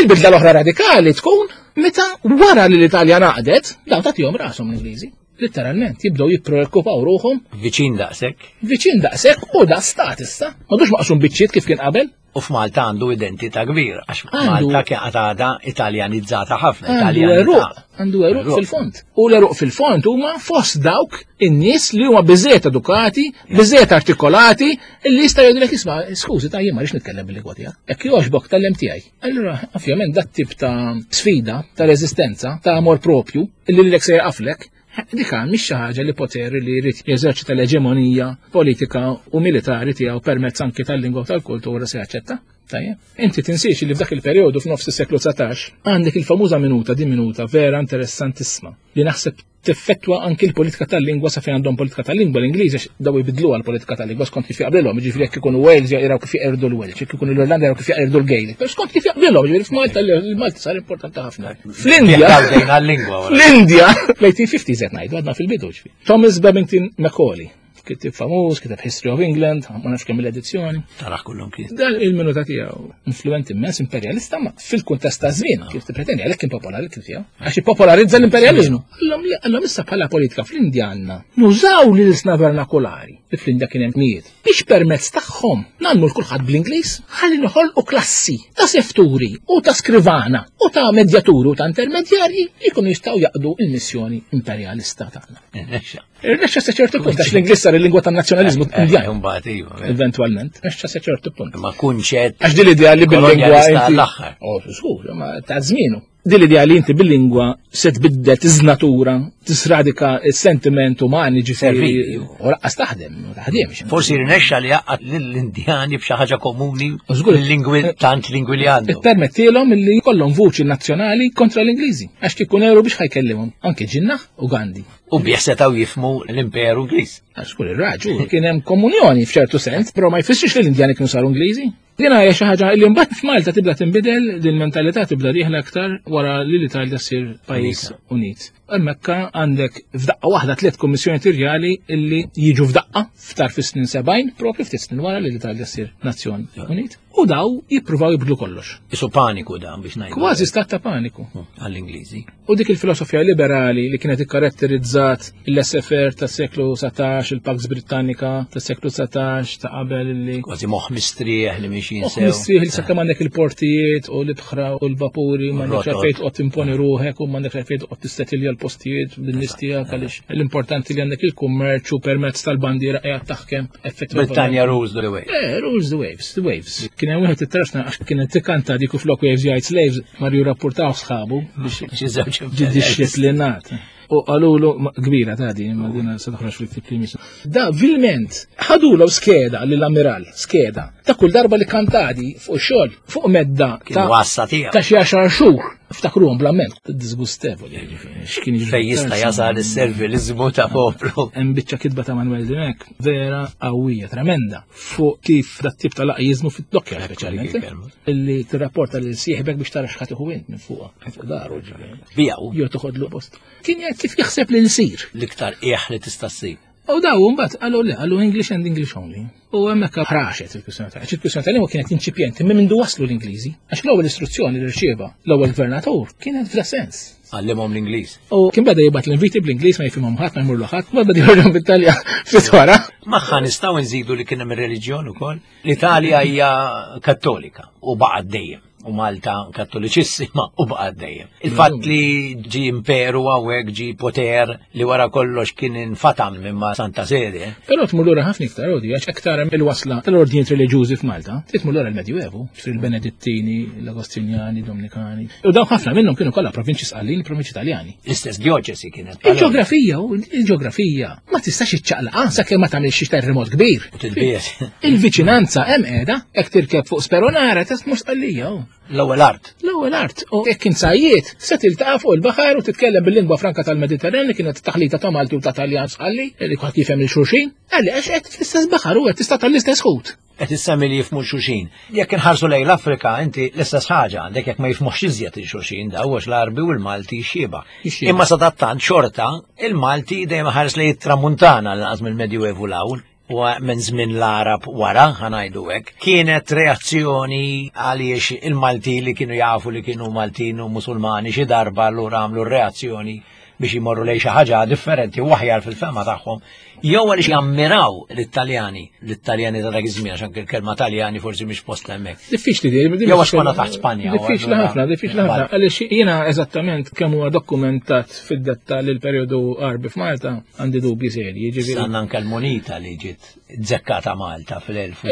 Il-bidla l-oħra radikali tkun meta wara li l-Italja naqdet, daw tagħtihom rashom l-Ingliżi. Letteralment jibdew jippreokkupaw ruħhom. Viċin daqshekk. Viċin daqshekk u da stat issa. M'għadux maqsum biċċiet kif kien qabel. U f'Malta għandu identità kbira, għax Għandu Malta kien għadha italjanizzata ħafna, Għandu italjanizzata. eruq, għandu eruq Eruq. fil-fond. U l-eruq fil-fond huma fost dawk in-nies li huma biżejjed edukati, biżejjed artikolati, illi jista' jgħidulek isma' skużi ta' jien ma rridx nitkellem bil-lingwa tiegħek. Jekk jogħġbok tgħallem tiegħi. Allura, ovvjament dat tip ta' sfida, ta' reżistenza, ta' amor propju, illi lilek se jaqaflek, dik mhix xi ħaġa li poteri li jrid jeżerċita l-eġemonija politika u militari tiegħu permezz anki tal-lingwa u tal-kultura se jaċċetta. Tajjeb. Inti tinsiex li f'dak il-perjodu f'nofs is-seklu dsatax għandek il-famuża minuta, din minuta vera interessantissima li naħseb tiffettwa anki l-politika tal-lingwa sa fejn għandhom politika tal-lingwa l-Ingliż għax daw jbidluha l-politika tal-lingwa skont kif jaqblilhom, jiġifieri jekk ikunu Wales jaqraw kif jaqirdu l-Welsh, jekk ikunu l-Irlanda jaqraw kif jaqirdu l-Gaelic. Però skont kif jaqblilhom, jiġifieri f'Malta l-Malti sar importanti ħafna. Fl-Indja, Jaqgħu għal-lingwa wara. Fl-Indja, fl-eighteen fifties qed ngħidu għadna fil-bidu ġifieri. Thomas Babington Macaulay, kitib famuż, kiteb History of England, ma nafx kemm l-edizzjoni. Taraħ kullum kien. Dan il-minuta tiegħu influenti immens imperjalista, ma fil-kuntest ta' żmien kif tippretendi għalhekk kien popolari kif tiegħu. Għax ippopolarizza l-imperjaliżmu. Allhom le, allhom issa bħala politika fl-Indja għandna nużaw l-ilsna vernakolari Li fl-Indja kien hemm mijiet. Biex permezz tagħhom nagħmlu l kulħadd bl-Ingliż, ħalli noħolqu klassi ta' sefturi u ta' skrivana u ta' medjaturi u ta' intermedjarji li jkunu jistgħu jaqdu il-missjoni imperjalista tagħna. Irnexxa. Irnexxa sa ċertu punt għax l-Ingliż sar il-lingwa tan-nazzjonaliżmu Eh, Indjan. Imbagħad iva. Eventualment, irnexxa sa ċertu punt. Ma kunċett. Għax din l-idea li bil-lingwa Kolonjalista inti. għall-aħħar. Oh, żgur, ma ta' żmienu. Din l-idea li inti bil-lingwa se tbiddel tiżnatura, tisradika s-sentiment umani ġifieri. Servili. U lanqas taħdem, ma taħdemx. Forsi rnexxa li jgħaqqad lill-Indjani b'xi ħaġa komuni Żgur. lingwi tant lingwi li għandu. Permettilhom li jkollhom vuċi nazzjonali kontra l-Ingliżi. Għax kieku Nehru biex ħa jkellimhom anke Jinnah u Gandhi. U biex setgħu jifhmu l-Imperu Ingliż. Għax kull ir-raġu kien hemm komunjoni f'ċertu sens, però ma jfissirx li l-Indjani kienu saru Ingliżi. Din hija xi ħaġa li mbagħad f'Malta tibda tinbidel, din mentalità tibda dieħla aktar wara li l-Italja ssir pajjiż unit. Hemmhekk għandek f'daqqa waħda tliet kummissjoni rjali illi jiġu f'daqqa f'tarf is-snin sebgħin, propju ftit snin wara li l-Italja ssir nazzjon unit. U daw jippruvaw jibdlu kollox. Isu paniku dan biex ngħidu. Kważi stat ta' paniku. Għall-Ingliżi. U dik il-filosofija liberali li kienet ikkaratterizzat il-laissez-faire tas seklu dsatax, il-Pax Britannica tas seklu dsatax ta' qabel li Kważi moħħ mistrieħ li mixin Moħ sew. mistrieħ li sakemm għandek il-portijiet u l-ibħra u l-vapuri, m'għandek Rotot. għalfejn toqgħod timponi ruħek u m'għandek għalfejn toqgħod tissettilja l-postijiet bin-nies tiegħek għaliex l-importanti li għandek il-kummerċ u permezz tal-bandiera qiegħed taħkem effettivament. Britannia rules the way. Eh, rules the waves, the waves. Kien hemm wieħed it-trasna għax kien tikanta dik u flok waves jgħid slaves, mar jirrapportaw sħabu biex Xi żewġ ġi disciplinat. U qalulu kbira ta' din, ma dina se toħroġ fil-ktib li jmiss. Da vilment ħadulu skeda lill-ammiral, skeda. Ta' kull darba li kantadi fuq xogħol, fuq medda Kien ta' wassa tiegħu. ta' xi għaxar xhur. Ftakruhom bl-amment, disgustevoli, ġifieri. X'kien jiġri. Fej jista' jasal is-servilizmu ta' poplu. Hemm biċċa kitba ta' Manuel Dimech vera qawwija, tremenda, fuq kif dat tip ta' laqjiżmu fit-dokkja speċjalment. Illi tirrapporta lil sieħbek biex tara x'ħa tieħu int minn fuqha, fuq daru ġifieri. Bijaw Jew toħodlu post. Kien jgħid kif jaħseb li l-sir. l-iktar qiegħ li tista' ssib. U daw mbagħad qalu le, qalu English and English only. U hemmhekk ħraxet il-kwistjoni ta' il-kwistjoni tal-lingwa kienet inċipjenti minn mindu waslu l-Ingliżi. Għax l-ewwel istruzzjoni li rċieva l-ewwel gvernatur kienet f'da sens. Għallimhom l-Ingliż. U kien beda jibgħat l-inviti bl-Ingliż ma jifhimhom ħadd, ma jmurlu ħadd, ma beda jurhom bit-Talja ftit wara. Magħha nistgħu nżidu li kien hemm ir-reliġjon ukoll. L-Italja hija kattolika u baqgħet dejjem. U Malta kattoliċissima u baqgħet dejjem. Il-fatt li ġi imperu hawnhekk ġi poter li wara kollox kien infatam minn ma' Santa Sede. Però tmur lura ħafna iktar odi, għax aktar il-wasla tal-ordnijiet reliġjużi f'Malta, tmur lura l-Medjuevu, fil-Benedittini, l-Agostinjani, Dominikani. U dawn ħafna minnhom kienu kollha provinċi Sqallin, provinċi Taljani. L-istess dioċesi kienet. Il-ġeografija, u il-ġeografija, ma tistax iċċaqlaq sakemm ma tagħmilx xi terremot kbir. U tilbies. Il-viċinanza hemm qiegħda, jekk tirkeb fuq Speronara tmur Sqallija. hu. L-ewwel art. L-ewwel art. U jekk insajjiet, se tiltaqa' fuq il-baħar u titkellem bil-lingwa franka tal-Mediterran li kienet taħlita ta' Malti u ta' Taljan Sqalli, li kulħadd jifhem il xulxin, għalli għax qed fl-istess baħar u qed tista' tal-istess ħut. Qed issemmi li jifhmu xulxin. Jekk inħarsu lejn l-Afrika, inti l-istess ħaġa għandek jekk ma jifhmux iżjed il-xulxin da għax l-Arbi u l-Malti xieba. Xieba. Imma sadattant xorta il-Malti dejjem ħares lejn it-Tramuntana l-anqas mill-Medjuevu l-hawn u minn żmien l-Arab wara, ħa ngħidu hekk, kienet reazzjoni għaliex il-Malti li kienu jafu li kienu Maltin u Musulmani xi darba allura għamlu reazzjoni biex jmorru lejn xi ħaġa differenti u aħjar fil-fema tagħhom, jew għaliex jammiraw l-Italjani, l-Italjani ta' dak iż-żmien għax anke l-kelma Taljani forsi mhix posta hemmhekk. Diffiċli di. di- Jew għax konna taħt Spanja, u Diffiċli allura- ħafna, diffiċli ħafna. Għaliex jiena eżattament kemm huwa dokumentat fid-dettall il-perjodu Arbi f'Malta għandi dubji serji, ġifieri. Sanna anke l-monita li ġiet zekkata Malta Iva, fil-elf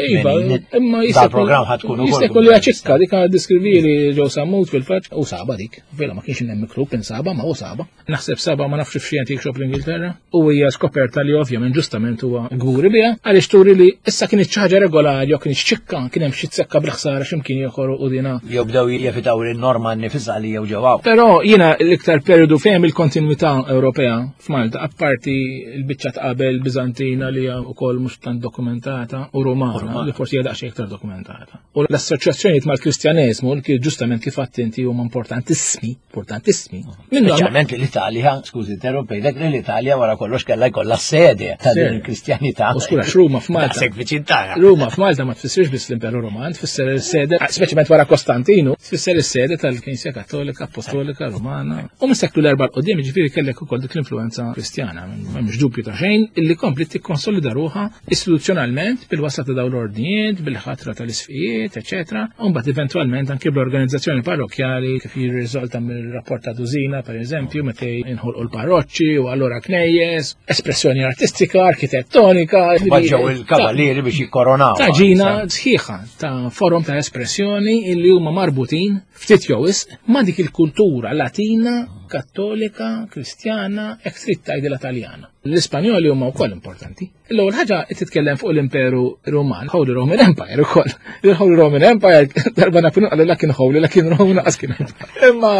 imma jista' Dal-programm ħa tkun ukoll. Jista' jkun li ċikka dik diskrivili ġew Sammut fil-fatt u saba dik. Vera ma kienx hemm miktub insaba ma u saba. Naħseb saba ma nafx f'xi antique shop l-Ingilterra u hija skoperta li ovvjament ġustament huwa gburi biha għaliex turi li issa kienet xi ħaġa regolari jew kienet ċikka kien hemm xi tsekka bil-ħsara x'imkien ieħor u dina. Jew bdew jevitaw il-norma nifisha li jew ġewaw. Però jiena l-iktar periodu fejn il-kontinuità Ewropea f'Malta, apparti l-biċċa ta' qabel Bizantina li hija wkoll mhux tant dokumentata u Romana li forsi hija daqsxejn iktar dokumentata. U l-assoċjazzjonijiet mal-Kristjaneżmu li kien ġustament kif għedt inti huma importantissimi, importantissimi. Minnhom Speċjalment li l-Italja l-Italja, skużi interrompejtek, li l-Italja wara kollox kellha jkollha sede ta' din il-Kristjanità. U skura Ruma f'Malta. Daqshekk viċin tagħna. Ruma f'Malta ma tfissirx biss l-Imperu Roman, tfisser is-sede, speċjalment wara Kostantinu, tfisser is-sede tal-Knisja Kattolika, Apostolika, Romana. U mis-seklu l-erba' 'l quddiem jiġifieri kellek ukoll dik l-influenza Kristjana, m'hemmx dubju ta' xejn, illi kompli tikkonsolida ruħha istituzzjonalment bil-wasla ta' dawn l-ordnijiet, bil-ħatra tal-isfijiet, eċetera. U mbagħad eventwalment anke bl-organizzazzjoni parrokkjali kif jirriżulta mill-rapport ta' Dużina, per eżempju, meta inħolqu l-parroċċi u allura knejjes, espressjoni artistika, arkitettonika. Baġġew il-kavallieri biex jikkoronaw. Ta' ġina sħiħa ta' forum ta' espressjoni illi huma marbutin ftit jew wisq ma' dik il-kultura Latina, Kattolika, Kristjana, hekk trid tgħidilha Taljana. L-Ispanjoli huma wkoll importanti. L-ewwel ħaġa qed titkellem fuq l-Imperu Ruman, Holy Roman Empire ukoll. Il-Holy Roman Empire darba Napoleon qalu la kien Holy, la kien Roman laqas kien Empire. Imma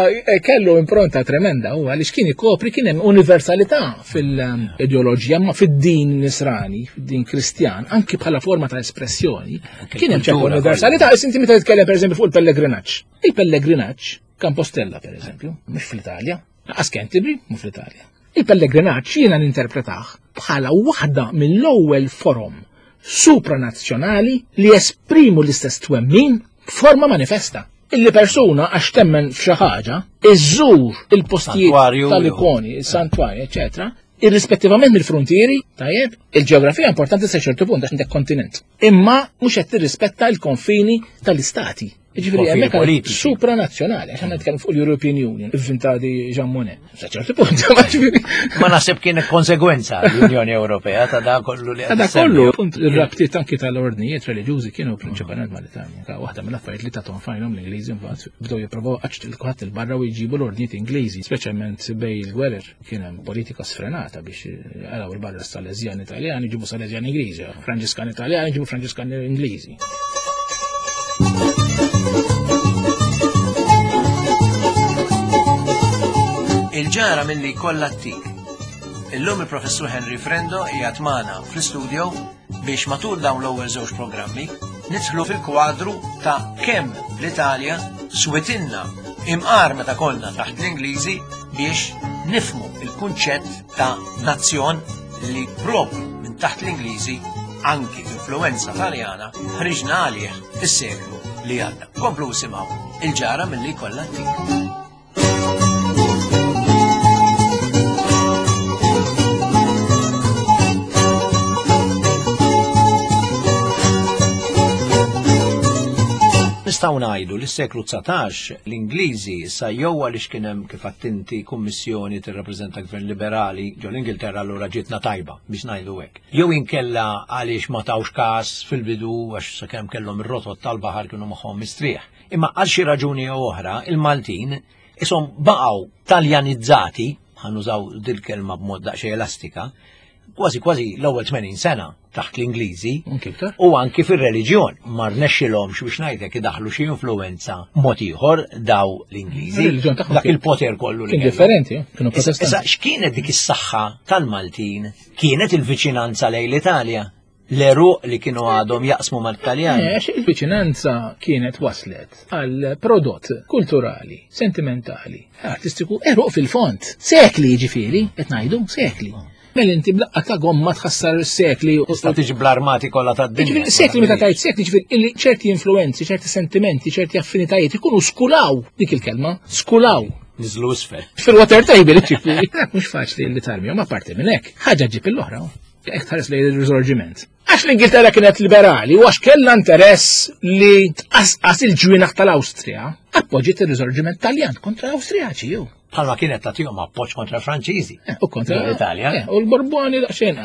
kellu impronta tremenda u għaliex kien ikopri kien hemm universalità fil-ideoloġija, ma fid-din nisrani, fid-din Kristjan, anki bħala forma ta' espressjoni. Kien hemm ċertu universalità, inti meta titkellem pereżempju fuq il-pellegrinaġġ. Il-pellegrinaġġ Compostela per eżempju, mhux fl-Italja, laqas Canterbury, mhux fl-Italja. Il-pellegrinaġġ jiena ninterpretah bħala waħda mill-ewwel forom supranazzjonali li esprimu l-istess twemmin b'forma manifesta. Illi persuna għax temmen f'xi ħaġa, iżżur il-postijiet tal-ikoni, il-santwarji, eċetera, irrispettivament mill-frontieri, tajjeb, il-ġeografija importanti sa ċertu punt għax għandek kontinent. Imma mhux qed tirrispetta l-konfini tal-istati. Ġifieri hemmhekk supranazzjonali, għax aħna nitkellmu fuq l-European Union, ivvintati Jean Monnet. Sa ċertu punt, ma ġifieri. Ma naħseb kien konsegwenza l-Unjoni Ewropea ta' da kollu li Ta' da kollu, punt ir-rabtiet anki tal-ordnijiet reliġjużi kienu prinċipalment mal-Italja. Waħda mill-affarijiet li tathom fajnhom l-Ingliżi mbagħad bdew jippruvaw qaċ il-kulħadd il-barra u jġibu l-ordnijiet Ingliżi, speċjalment bej il-gwerer kien hemm politika sfrenata biex jaraw il-barra Salesjan Italjani ġibu Salesjan Ingliżi, Franġiskan Italjani ġibu Franġiskan Ingliżi. Il-ġara milli kollha t-tik. Illum il-Professur Henry Frendo qiegħed magħna fl-istudio biex matul dawn l-ewwel żewġ programmi nidħlu fil-kwadru ta' kemm l-Italja switinna imqar meta konna taħt l-Ingliżi biex nifmu il-kunċett ta' nazzjon li propju minn taħt l-Ingliżi anki influenza Taljana ħriġna għalih fis-seklu li għadda. Komplu simgħu il-ġara milli kollha t-tik. Nistgħu ngħidu li s-seklu dsatax l-Ingliżi issa jew għaliex kien hemm kif attinti kummissjoni tirrappreżenta gvern liberali ġo l-Ingilterra allura ġietna tajba biex ngħidu hekk. Jew inkella għaliex ma tawx każ fil-bidu għax sakemm kellhom ir-rotot tal-baħar kienu magħhom mistrieħ. Imma għal xi raġuni jew oħra il-Maltin ishom baqgħu taljanizzati, ħanużaw dil-kelma b'mod daqsxejn elastika, kważi kważi l-ewwel tmenin sena taħt l-Ingliżi u anki fir-reliġjon ma rnexxilhomx biex ngħidlek idaħlu xi influenza mod ieħor daw l-Ingliżi. Dak il-poter kollu li kien differenti, kienu protestanti. Issa x'kienet dik is-saħħa tal-Maltin? Kienet il-viċinanza lejn l-Italja? L-eruq li kienu għadhom jaqsmu mal-Taljani. Għax il-viċinanza kienet waslet għal prodott kulturali, sentimentali, artistiku, eruq fil-fond. Sekli jiġifieri, qed ngħidu sekli. Mela inti blaqqa ta' gomma tħassar is-sekli. Tista' tiġi bl-armati kollha tad-dinja. Ġifieri sekli meta tgħid sekli, ġifieri illi ċerti influenzi, ċerti sentimenti, ċerti affinitajiet ikunu skulaw dik il-kelma, skulaw. Niżlu isfel. Fil-water table, ġifieri. Mhux faċli li tarmihom apparti minn hekk. Ħaġa ġib l-oħra. Hekk tħares lejn ir-riżorġiment. Għax l-Ingilterra kienet liberali u għax kellha interess li tqasqas il-ġwienaħ tal-Awstrija, appoġġiet ir-riżorġiment Taljan kontra l-Awstrijaċi jew. Bħalma kienet tagħtihom appoġġ kontra l-Franċiżi. U kontra l-Italja. U l-Borboni daqsxejn.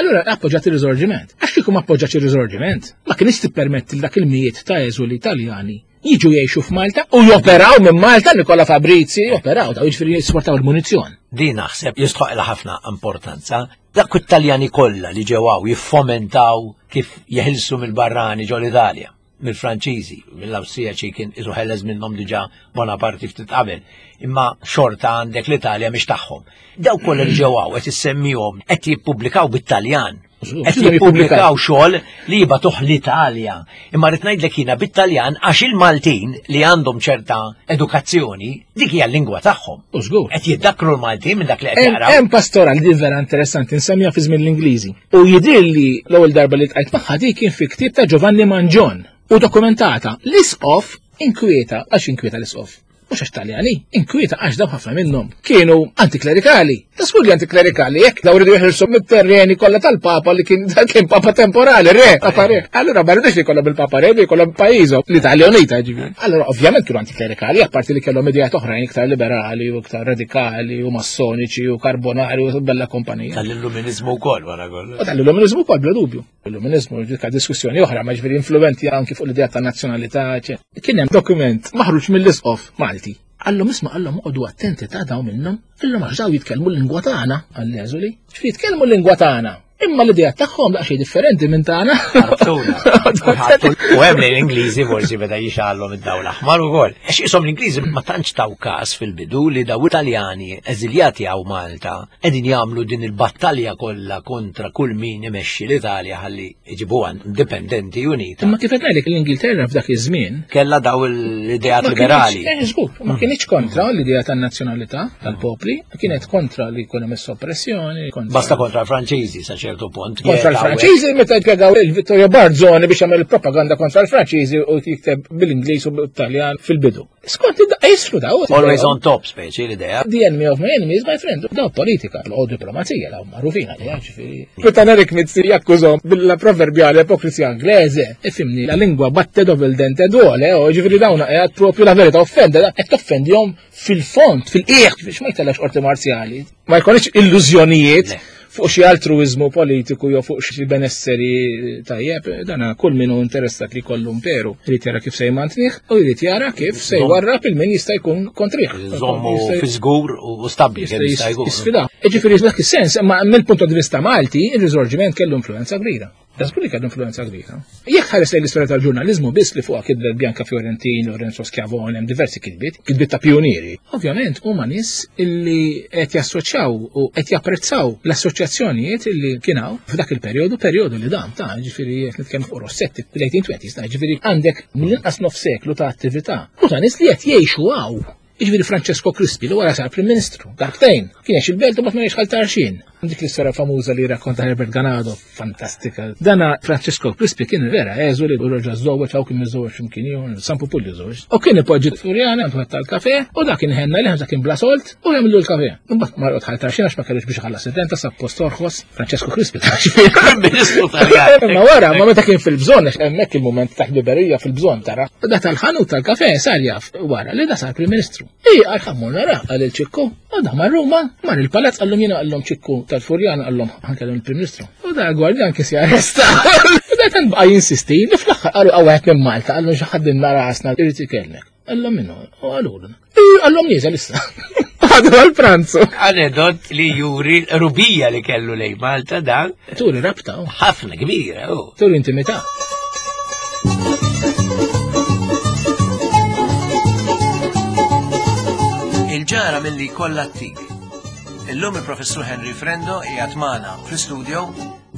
Allura appoġġat ir-riżorġiment. Għax kieku ma appoġġatx ir-riżorġiment, ma kienx tippermetti dak il-mijiet ta' eżuli Taljani jiġu jgħixu f'Malta u joperaw minn Malta, Nikola Fabrizi joperaw, daw jiġifieri jisportaw il-munizzjon. Din naħseb jistħoqilha ħafna importanza. Dak it-Taljani kollha li ġew hawn jiffomentaw kif jeħilsu mill-barrani ġol Italja, mill-Franċiżi, mill-Awstrijaċi kien isu ħeles minnhom diġà Bonaparte ftit qabel, imma xorta għandek l-Italja mhix tagħhom. Daw kollha li ġew hawn qed issemmihom qed jippubblikaw bit-Taljan. Qed jippubblikaw xogħol li jibatuh l-Italja. Imma rrid ngħidlek jiena bit-Taljan għax il-Maltin li għandhom ċerta edukazzjoni dik hija l-lingwa tagħhom. U żgur. Qed jiddakkru l-Maltin minn dak li qed jaqraw. Hemm pastoral li vera interessanti nsemmiha fi żmien l-Ingliżi. U jidhirli l-ewwel darba li tqajt magħha dik kien fi ktieb ta' Giovanni Mangion u dokumentata. L-isqof inkwieta, għax inkwieta l-isqof. Mhux għax Taljani, inkwieta għax daw ħafna minnhom kienu antiklerikali. Ta' skur li antiklerikali, jekk daw ridu jeħilsu mit-terreni kollha tal-Papa li kien kien Papa temporali, re, Papa re. Allura ma rridux li jkollhom il-Papa re, li jkollhom pajjiżhom, l-Italja Unita ġifieri. Allura ovvjament kienu antiklerikali, apparti li kellhom ideat oħrajn iktar liberali u iktar radikali u massoniċi u karbonari u bella kompanija. Tal-illuminizmu wkoll wara kollox. U tal-illuminizmu wkoll bla dubju. L-illuminizmu ġiet diskussjoni oħra, ma ġifieri influenti anki fuq l-idea ta' nazzjonalità. Kien hemm dokument maħruġ mill-isqof Malti. Għallhom isma' għallhom oqogħdu attenti ta' daw minnhom, illum għax daw jitkellmu l-lingwa tagħna, għall-eżuli. Ġifieri jitkellmu l-lingwa tagħna. Imma l-idea tagħhom daqsxejn differenti minn tagħna. U hemm li l-Ingliżi forsi beda jixgħalhom id-dawl aħmar ukoll. Għax ishom l-Ingliżi ma tantx taw każ fil-bidu li daw Italjani eżiljati hawn Malta qegħdin jagħmlu din il-battalja kollha kontra kull min imexxi l-Italja ħalli jġibuha indipendenti unita. Imma kif qed ngħidlek l-Ingilterra f'dak iż-żmien kellha daw l-ideat liberali. Żgur, ma kienx kontra l-idea tan-nazzjonalità tal-popli, kienet kontra li jkun hemm is-soppressjoni. Basta kontra l-Franċiżi sa ċertu punt. Kontra l-Franċiżi meta jpjegaw il-Vittorio Barzoni biex jagħmel propaganda kontra l-Franċiżi u jikteb bil-Ingliż u bil-Taljan fil-bidu. Skont id-daqqa jisru daw. Always on top speċi l-idea. The enemy of my enemy is my friend. Daw politika, u diplomazija, daw magħrufin għalija ġifieri. Meta Eric Mizzi jakkużhom bil-proverbjali ipokrisija Inglese, ifhimni, la lingua batte dove il dente duole, u ġifieri dawn qiegħed propju la verità offende, qed toffendihom fil-fond, fil-qiegħ, biex ma jtellax qorti marzjali. Ma jkunx illużjonijiet fuq xi altruizmu politiku jew fuq xi benesseri tajjeb, dana kull min hu interessat li jkollu imperu jrid jara kif se jmantnih u jrid jara kif se jwarrab il min jista' jkun kontrih. Żommu fi żgur u stabbli kemm jista' jkun. Jisfida. Jiġifieri f'dak is-sens, imma mill-punt di vista Malti, ir-Risorġiment kellu influenza kbira. Da żgur li kellu influenza kbira. Jekk ħares lejn l-istorja tal-ġurnaliżmu biss li fuqha kitbet Bianca Fiorentini, Lorenzo Schiavone, hemm diversi kitbiet, kitbiet ta' pionieri. Ovvjament huma nies illi qed jassoċjaw u qed japprezzaw l-assoċjazzjonijiet illi kien hawn f'dak il-perjodu, perjodu li dam ta' ġifieri qed nitkellmu fuq Rossetti fil-eighteen twenties, ta' ġifieri għandek mill-inqas nof seklu ta' attività u ta' nies li qed jgħixu hawn. Jiġifieri Francesco Crispi li wara sar Prim Ministru, darbtejn, kien jgħix il-belt u ma jgħix ħal tarxin. Dik l-istorja famuża li rakkonta Herbert Ganado, fantastika. Dana Francesco Crispi kien vera eżu li reġa' żżewweġ hawn kien miżżewweġ x'imkien ieħor, San Pupulli żewweġ. U kien ipoġġi Furjana għandu tal-kafe u dak kien ħenna li dak kien bla solt u jagħmlu l-kafe. Imbagħad mar ħal tarxin għax ma kellux biex iħallas id-denta sa post orħos Francesco Crispi. Prim Ministru Taljan. Imma wara, ma meta kien fil-bżonn, hemmhekk il-mument ta' ħbiberija fil-bżonn tara. Da tal-ħanut tal-kafe sar jaf wara li da sar Prim Ministru. Ej, għal ħammur nara, għal il-ċikku, u da mar Ruma, mar il-palazz, għallum jena għallum ċikku tal-Furjana, għallum ħankellem il-Prim Ministru. U da gwardjan kien si arresta. U da tan baqa' jinsisti, li fl-aħħar qalu għawet minn Malta, għallum xi ħadd nara rasna irid ikellmek. Għallum minnu, u għalulu. Ej, għallum nieżel issa. Għadu għal-pranzu. Anedot li juri rubija li kellu lej Malta dan. Turi rabta. Ħafna kbira, u. Turi intimità. Il-ġara milli kollha t-tik. Illum il-Professur Henry Frendo qiegħed magħna fl-istudio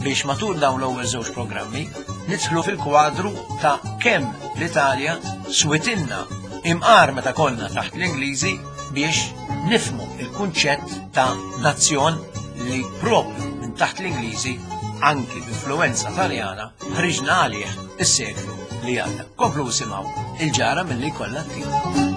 biex matul dawn l-ewwel żewġ programmi nidħlu fil-kwadru ta' kemm l-Italja switilna imqar meta konna taħt l-Ingliżi biex nifmu il-kunċett ta' nazzjon li propju minn taħt l-Ingliżi anki b'influenza Taljana ħriġna għalih is-seklu li għadda. Komplu simgħu il-ġara milli kollha t-tik.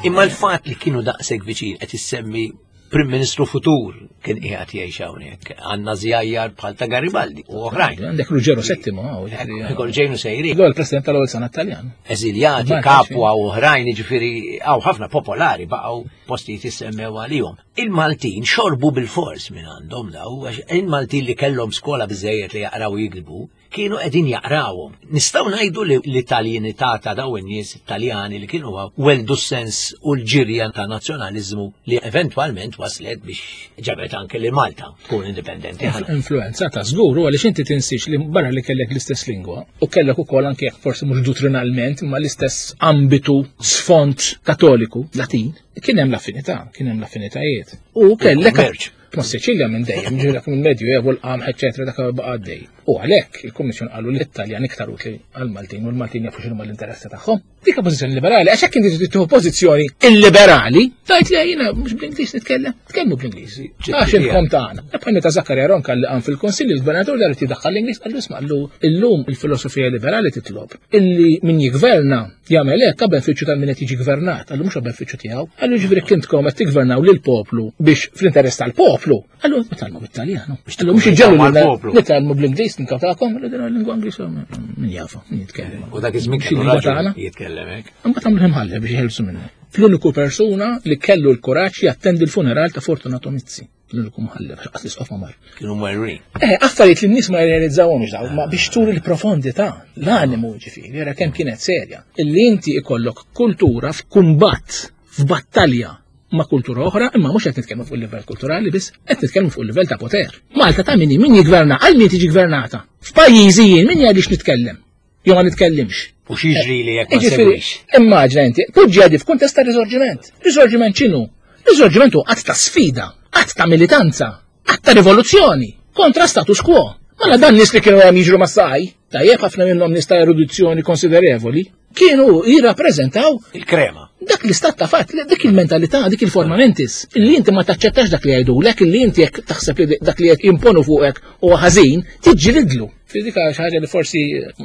Imma l-fat li kienu daqshekk viċin qed issemmi Prim Ministru futur kien qiegħed jgħix hawnhekk, għandna żjajjar bħal ta' Garibaldi u oħrajn. Għandek Ruggero Settimo hawn. Ġejnu sejrin. L-ewwel President tal-ewwel sena Taljan. Eżiljati, Capua u oħrajn, jiġifieri hawn ħafna popolari baqgħu postijiet issemmew għalihom. Il-Maltin xorbu bil-fors minn għandhom daw, għax il-Maltin li kellhom skola biżejjed li jaqraw jiktbu, kienu qegħdin jaqrawhom. Nistgħu ngħidu li l-Italjanità ta' dawn in-nies Italjani li kienu weldu s-sens u l-ġirja ta' nazzjonaliżmu li eventwalment waslet biex ġabet anke li Malta tkun indipendenti. Influenza ta' żgur u għaliex inti tinsix li barra li kellek l-istess lingwa u kellek ukoll anke jekk forsi mhux dottrinalment imma l-istess ambitu sfond katoliku Latin, kien hemm l-affinità, kien hemm l-affinitajiet. U kellek ma' Sicilja minn dejjem, ġifieri minn Medju Evo, l-qamħ, eċetera, dak baqa' għaddej. U għalhekk il-Kummissjoni qalu li l-Italjan iktar utli għall-Maltin u l-Maltin jafu x'inhuma l-interessi tagħhom. Dik pożizzjoni liberali, għax hekk inti tieħu pożizzjoni illiberali, tgħid li jiena mhux bl-Ingliż nitkellem, tkellmu bl-Ingliż. Għax intkom tagħna. Bħal meta Zaccaria Ronca li qam fil-Kunsill il-Gvernatur dar jiddaħħal l-Ingliż qallu isma' qallu illum il-filosofija liberali titlob illi min jigverna jagħmel hekk għal benefiċċju tal-min qed jiġi gvernat, qallu mhux għal benefiċċju tiegħu. Qallu ġifieri kintkom qed tigvernaw lill-poplu biex fl-interess tal-poplu. Qallu nitgħallmu bit-Taljan. Qallu mhux iġġelu nitgħallmu bl-Ingliż ninkawtakom, qallu din il-lingwa Ingliż min jafu, min jitkellem. U dak iż-żmien kellu raġun jitkellem hekk. Imbagħad għamlu imħallef biex jħelsu minnu. L-uniku persuna li kellu l-kuraġġ jattendi l-funeral ta' Fortunato Mizzi. L-uniku mħallef, għax l-isqof ma mar. Kienu marrin. Eh, affarijiet li n-nies ma jirrealizzawhomx daw, ma biex turi l-profondità, l-animu ġifieri, jara kemm kienet serja. Illi inti ikollok kultura f'kumbatt, f'battalja ma' kultura oħra, imma mhux qed nitkellmu fuq il-livell kulturali biss, qed nitkellmu fuq il-livell ta' poter. Malta ta' min min jigverna, għal min tiġi gvernata. F'pajjiżi jien min jgħidix nitkellem, jew ma nitkellimx. U x'jiġri li jekk ma Jiġifieri, segwix? Immaġina inti, poġġi għadi f'kuntest ta' risorġiment. Risorġiment x'inhu? Risorġiment hu qatt ta' sfida, qatt ta' militanza, qatt ta' rivoluzzjoni kontra status quo. Mela dan nies li kienu hemm jiġru mas-saj, tajjeb ħafna minnhom nies ta' erudizzjoni konsiderevoli, kienu jirrappreżentaw il-krema. Dak l-istat ta' fatt, dik il-mentalità, dik il-forma mentis, illi inti ma taċċettax dak li jgħidulek, illi inti jekk taħseb li dak li qed jimponu fuqek huwa ħażin, tiġġilidlu. Dik xi ħaġa li forsi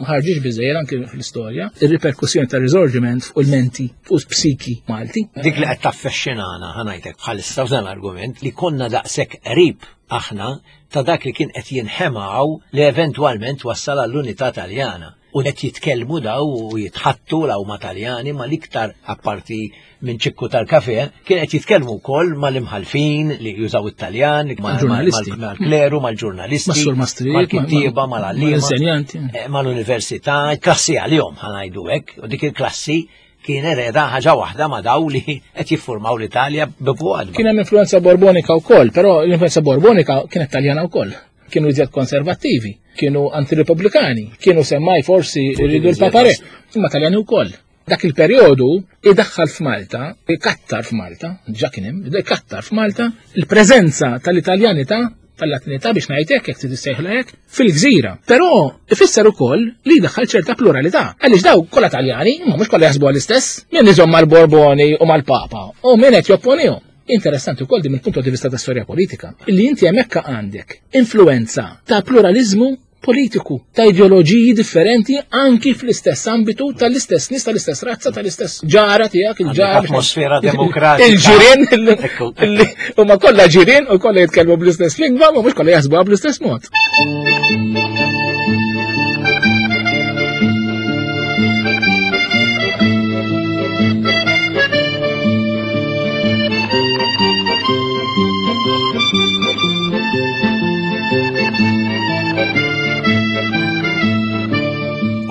ħarġix biżejjed anke fl-istorja, ir-riperkussjoni ta' risorġiment fuq il-menti, fuq psiki Malti. Dik li qed taffexxinana ħanajtek bħalissa f'dan l-argument li konna daqshekk qrib aħna ta' dak li kien qed jinħemaw li eventwalment wassal għall-unità Taljana. U qed jitkellmu daw u jitħattu law ma' Taljani ma l-iktar apparti minn ċikku tal-kafe, kien qed jitkellmu wkoll mal-imħalfin li jużaw it-Taljan, Mal-ġurnalisti. mal-kleru, mal-ġurnalisti, Mas-sur Maastricht, mal-kittieba, mal-għalliema, mal-insenjanti. eh, mal-università, klassi għalihom ħanajdu hekk, u dik il-klassi kien ereda ħaġa waħda ma' daw li qed jiffurmaw l-Italja b'fuqadba. Kien hemm influenza borbonika wkoll, però l-influenza borbonika kienet Taljana wkoll. Kienu iżjed konservattivi, kienu antirepubblikani, kienu semmaj forsi rridu l-papare, imma Taljani wkoll. Dak il-perjodu idaħħal f'Malta, ikattar f'Malta, ġa kien hemm, ikattar f'Malta il-preżenza tal-Italjanità, tal-Latinità biex ngħidlek jekk trid issejħla hekk, fil-gżira. Però ifisser ukoll li jdaħħal ċerta pluralità. Għaliex daw kollha Taljani, imma mhux kollha jaħsbu għall-istess, min iżomm mal-Borboni u mal-Papa u min qed jopponihom. Interessanti wkoll din mill-punt di vista ta' storja politika, illi inti hemmhekk għandek influenza ta' pluralizmu politiku, ta' ideoloġiji differenti anki fl-istess ambitu tal-istess nies, tal-istess razza, tal-istess ġara tiegħek, il-ġara. Għandek atmosfera demokratika. Il-ġirien, il- Ekku. illi huma kollha ġirien u kollha jitkellmu bl-istess lingwa, ma mhux kollha jaħsbuha bl-istess mod.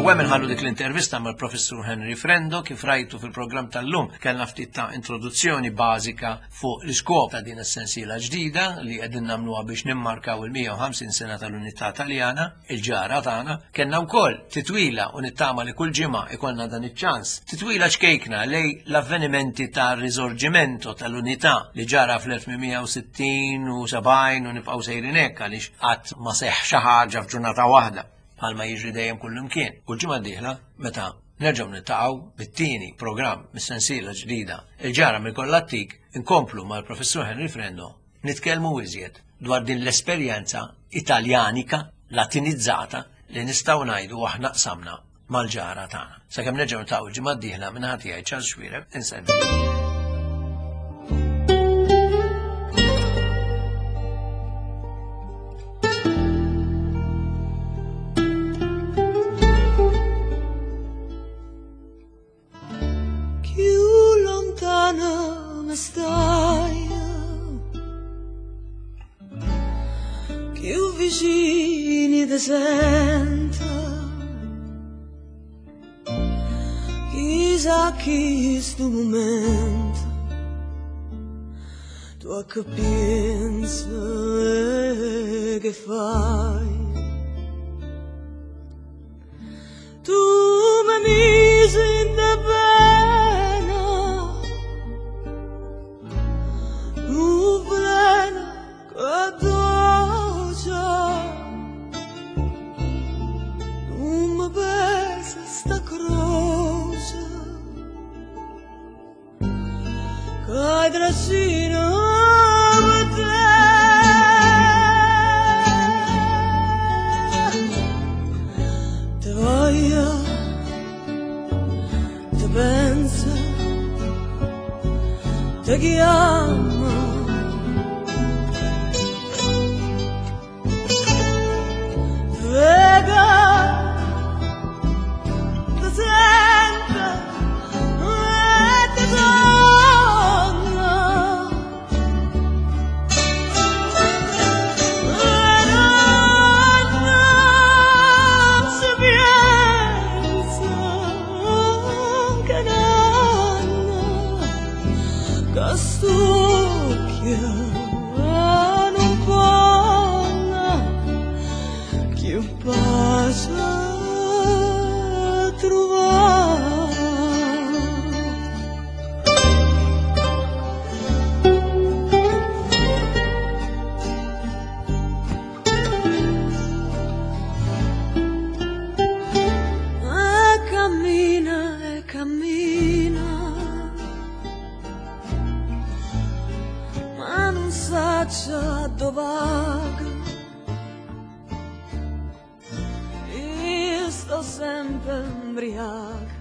U hemm inħallu dik l-intervista mal-Professur Henry Frendo kif rajtu fil-programm tal-lum kellna ftit ta' introduzzjoni bażika fuq l-iskop ta' din is-sensiela ġdida li qegħdin nagħmluha biex nimmarkaw il-mija u ħamsin sena tal-Unità Taljana, il-ġara tagħna. Kellna wkoll titwila u nittama li kull ġimgħa ikollna dan iċ-ċans. Titwila ċkejkna lej l-avvenimenti ta' risorgimento tal-Unità li ġara fl-elf mija u sittin u sebgħin u nibqgħu sejrin hekk għaliex qatt ma seħħ xi ħaġa f'ġurnata waħda bħalma jiġri dejjem kullimkien. U l-ġimgħa d-dieħla meta nerġgħu niltaqgħu bit-tieni programm mis-sensiela ġdida il-ġara mill-Kollattik inkomplu mal-Professur Henry Frendo nitkellmu iżjed dwar din l-esperjenza italjanika latinizzata li nistgħu ngħidu aħna qsamna mal-ġara tagħna. Sakemm nerġgħu niltaqgħu l-ġimgħa d-dieħla minn ħadd jgħid Charles Xuereb, insellem. Più vicini ti sento, chissà chi sto momento Tu a che pensi che fai? Tu mi misi in pena, un veleno che dolce, non mi pesa sta croce, che trascina per te. Te voglio, te penso, te chiamo. Vega, te sento e te torno. E non si pensa che nanna, che stucchia non può più pace trovare. E cammina, e cammina, ma non sa dove vaga. Io sto sempre imbriaca,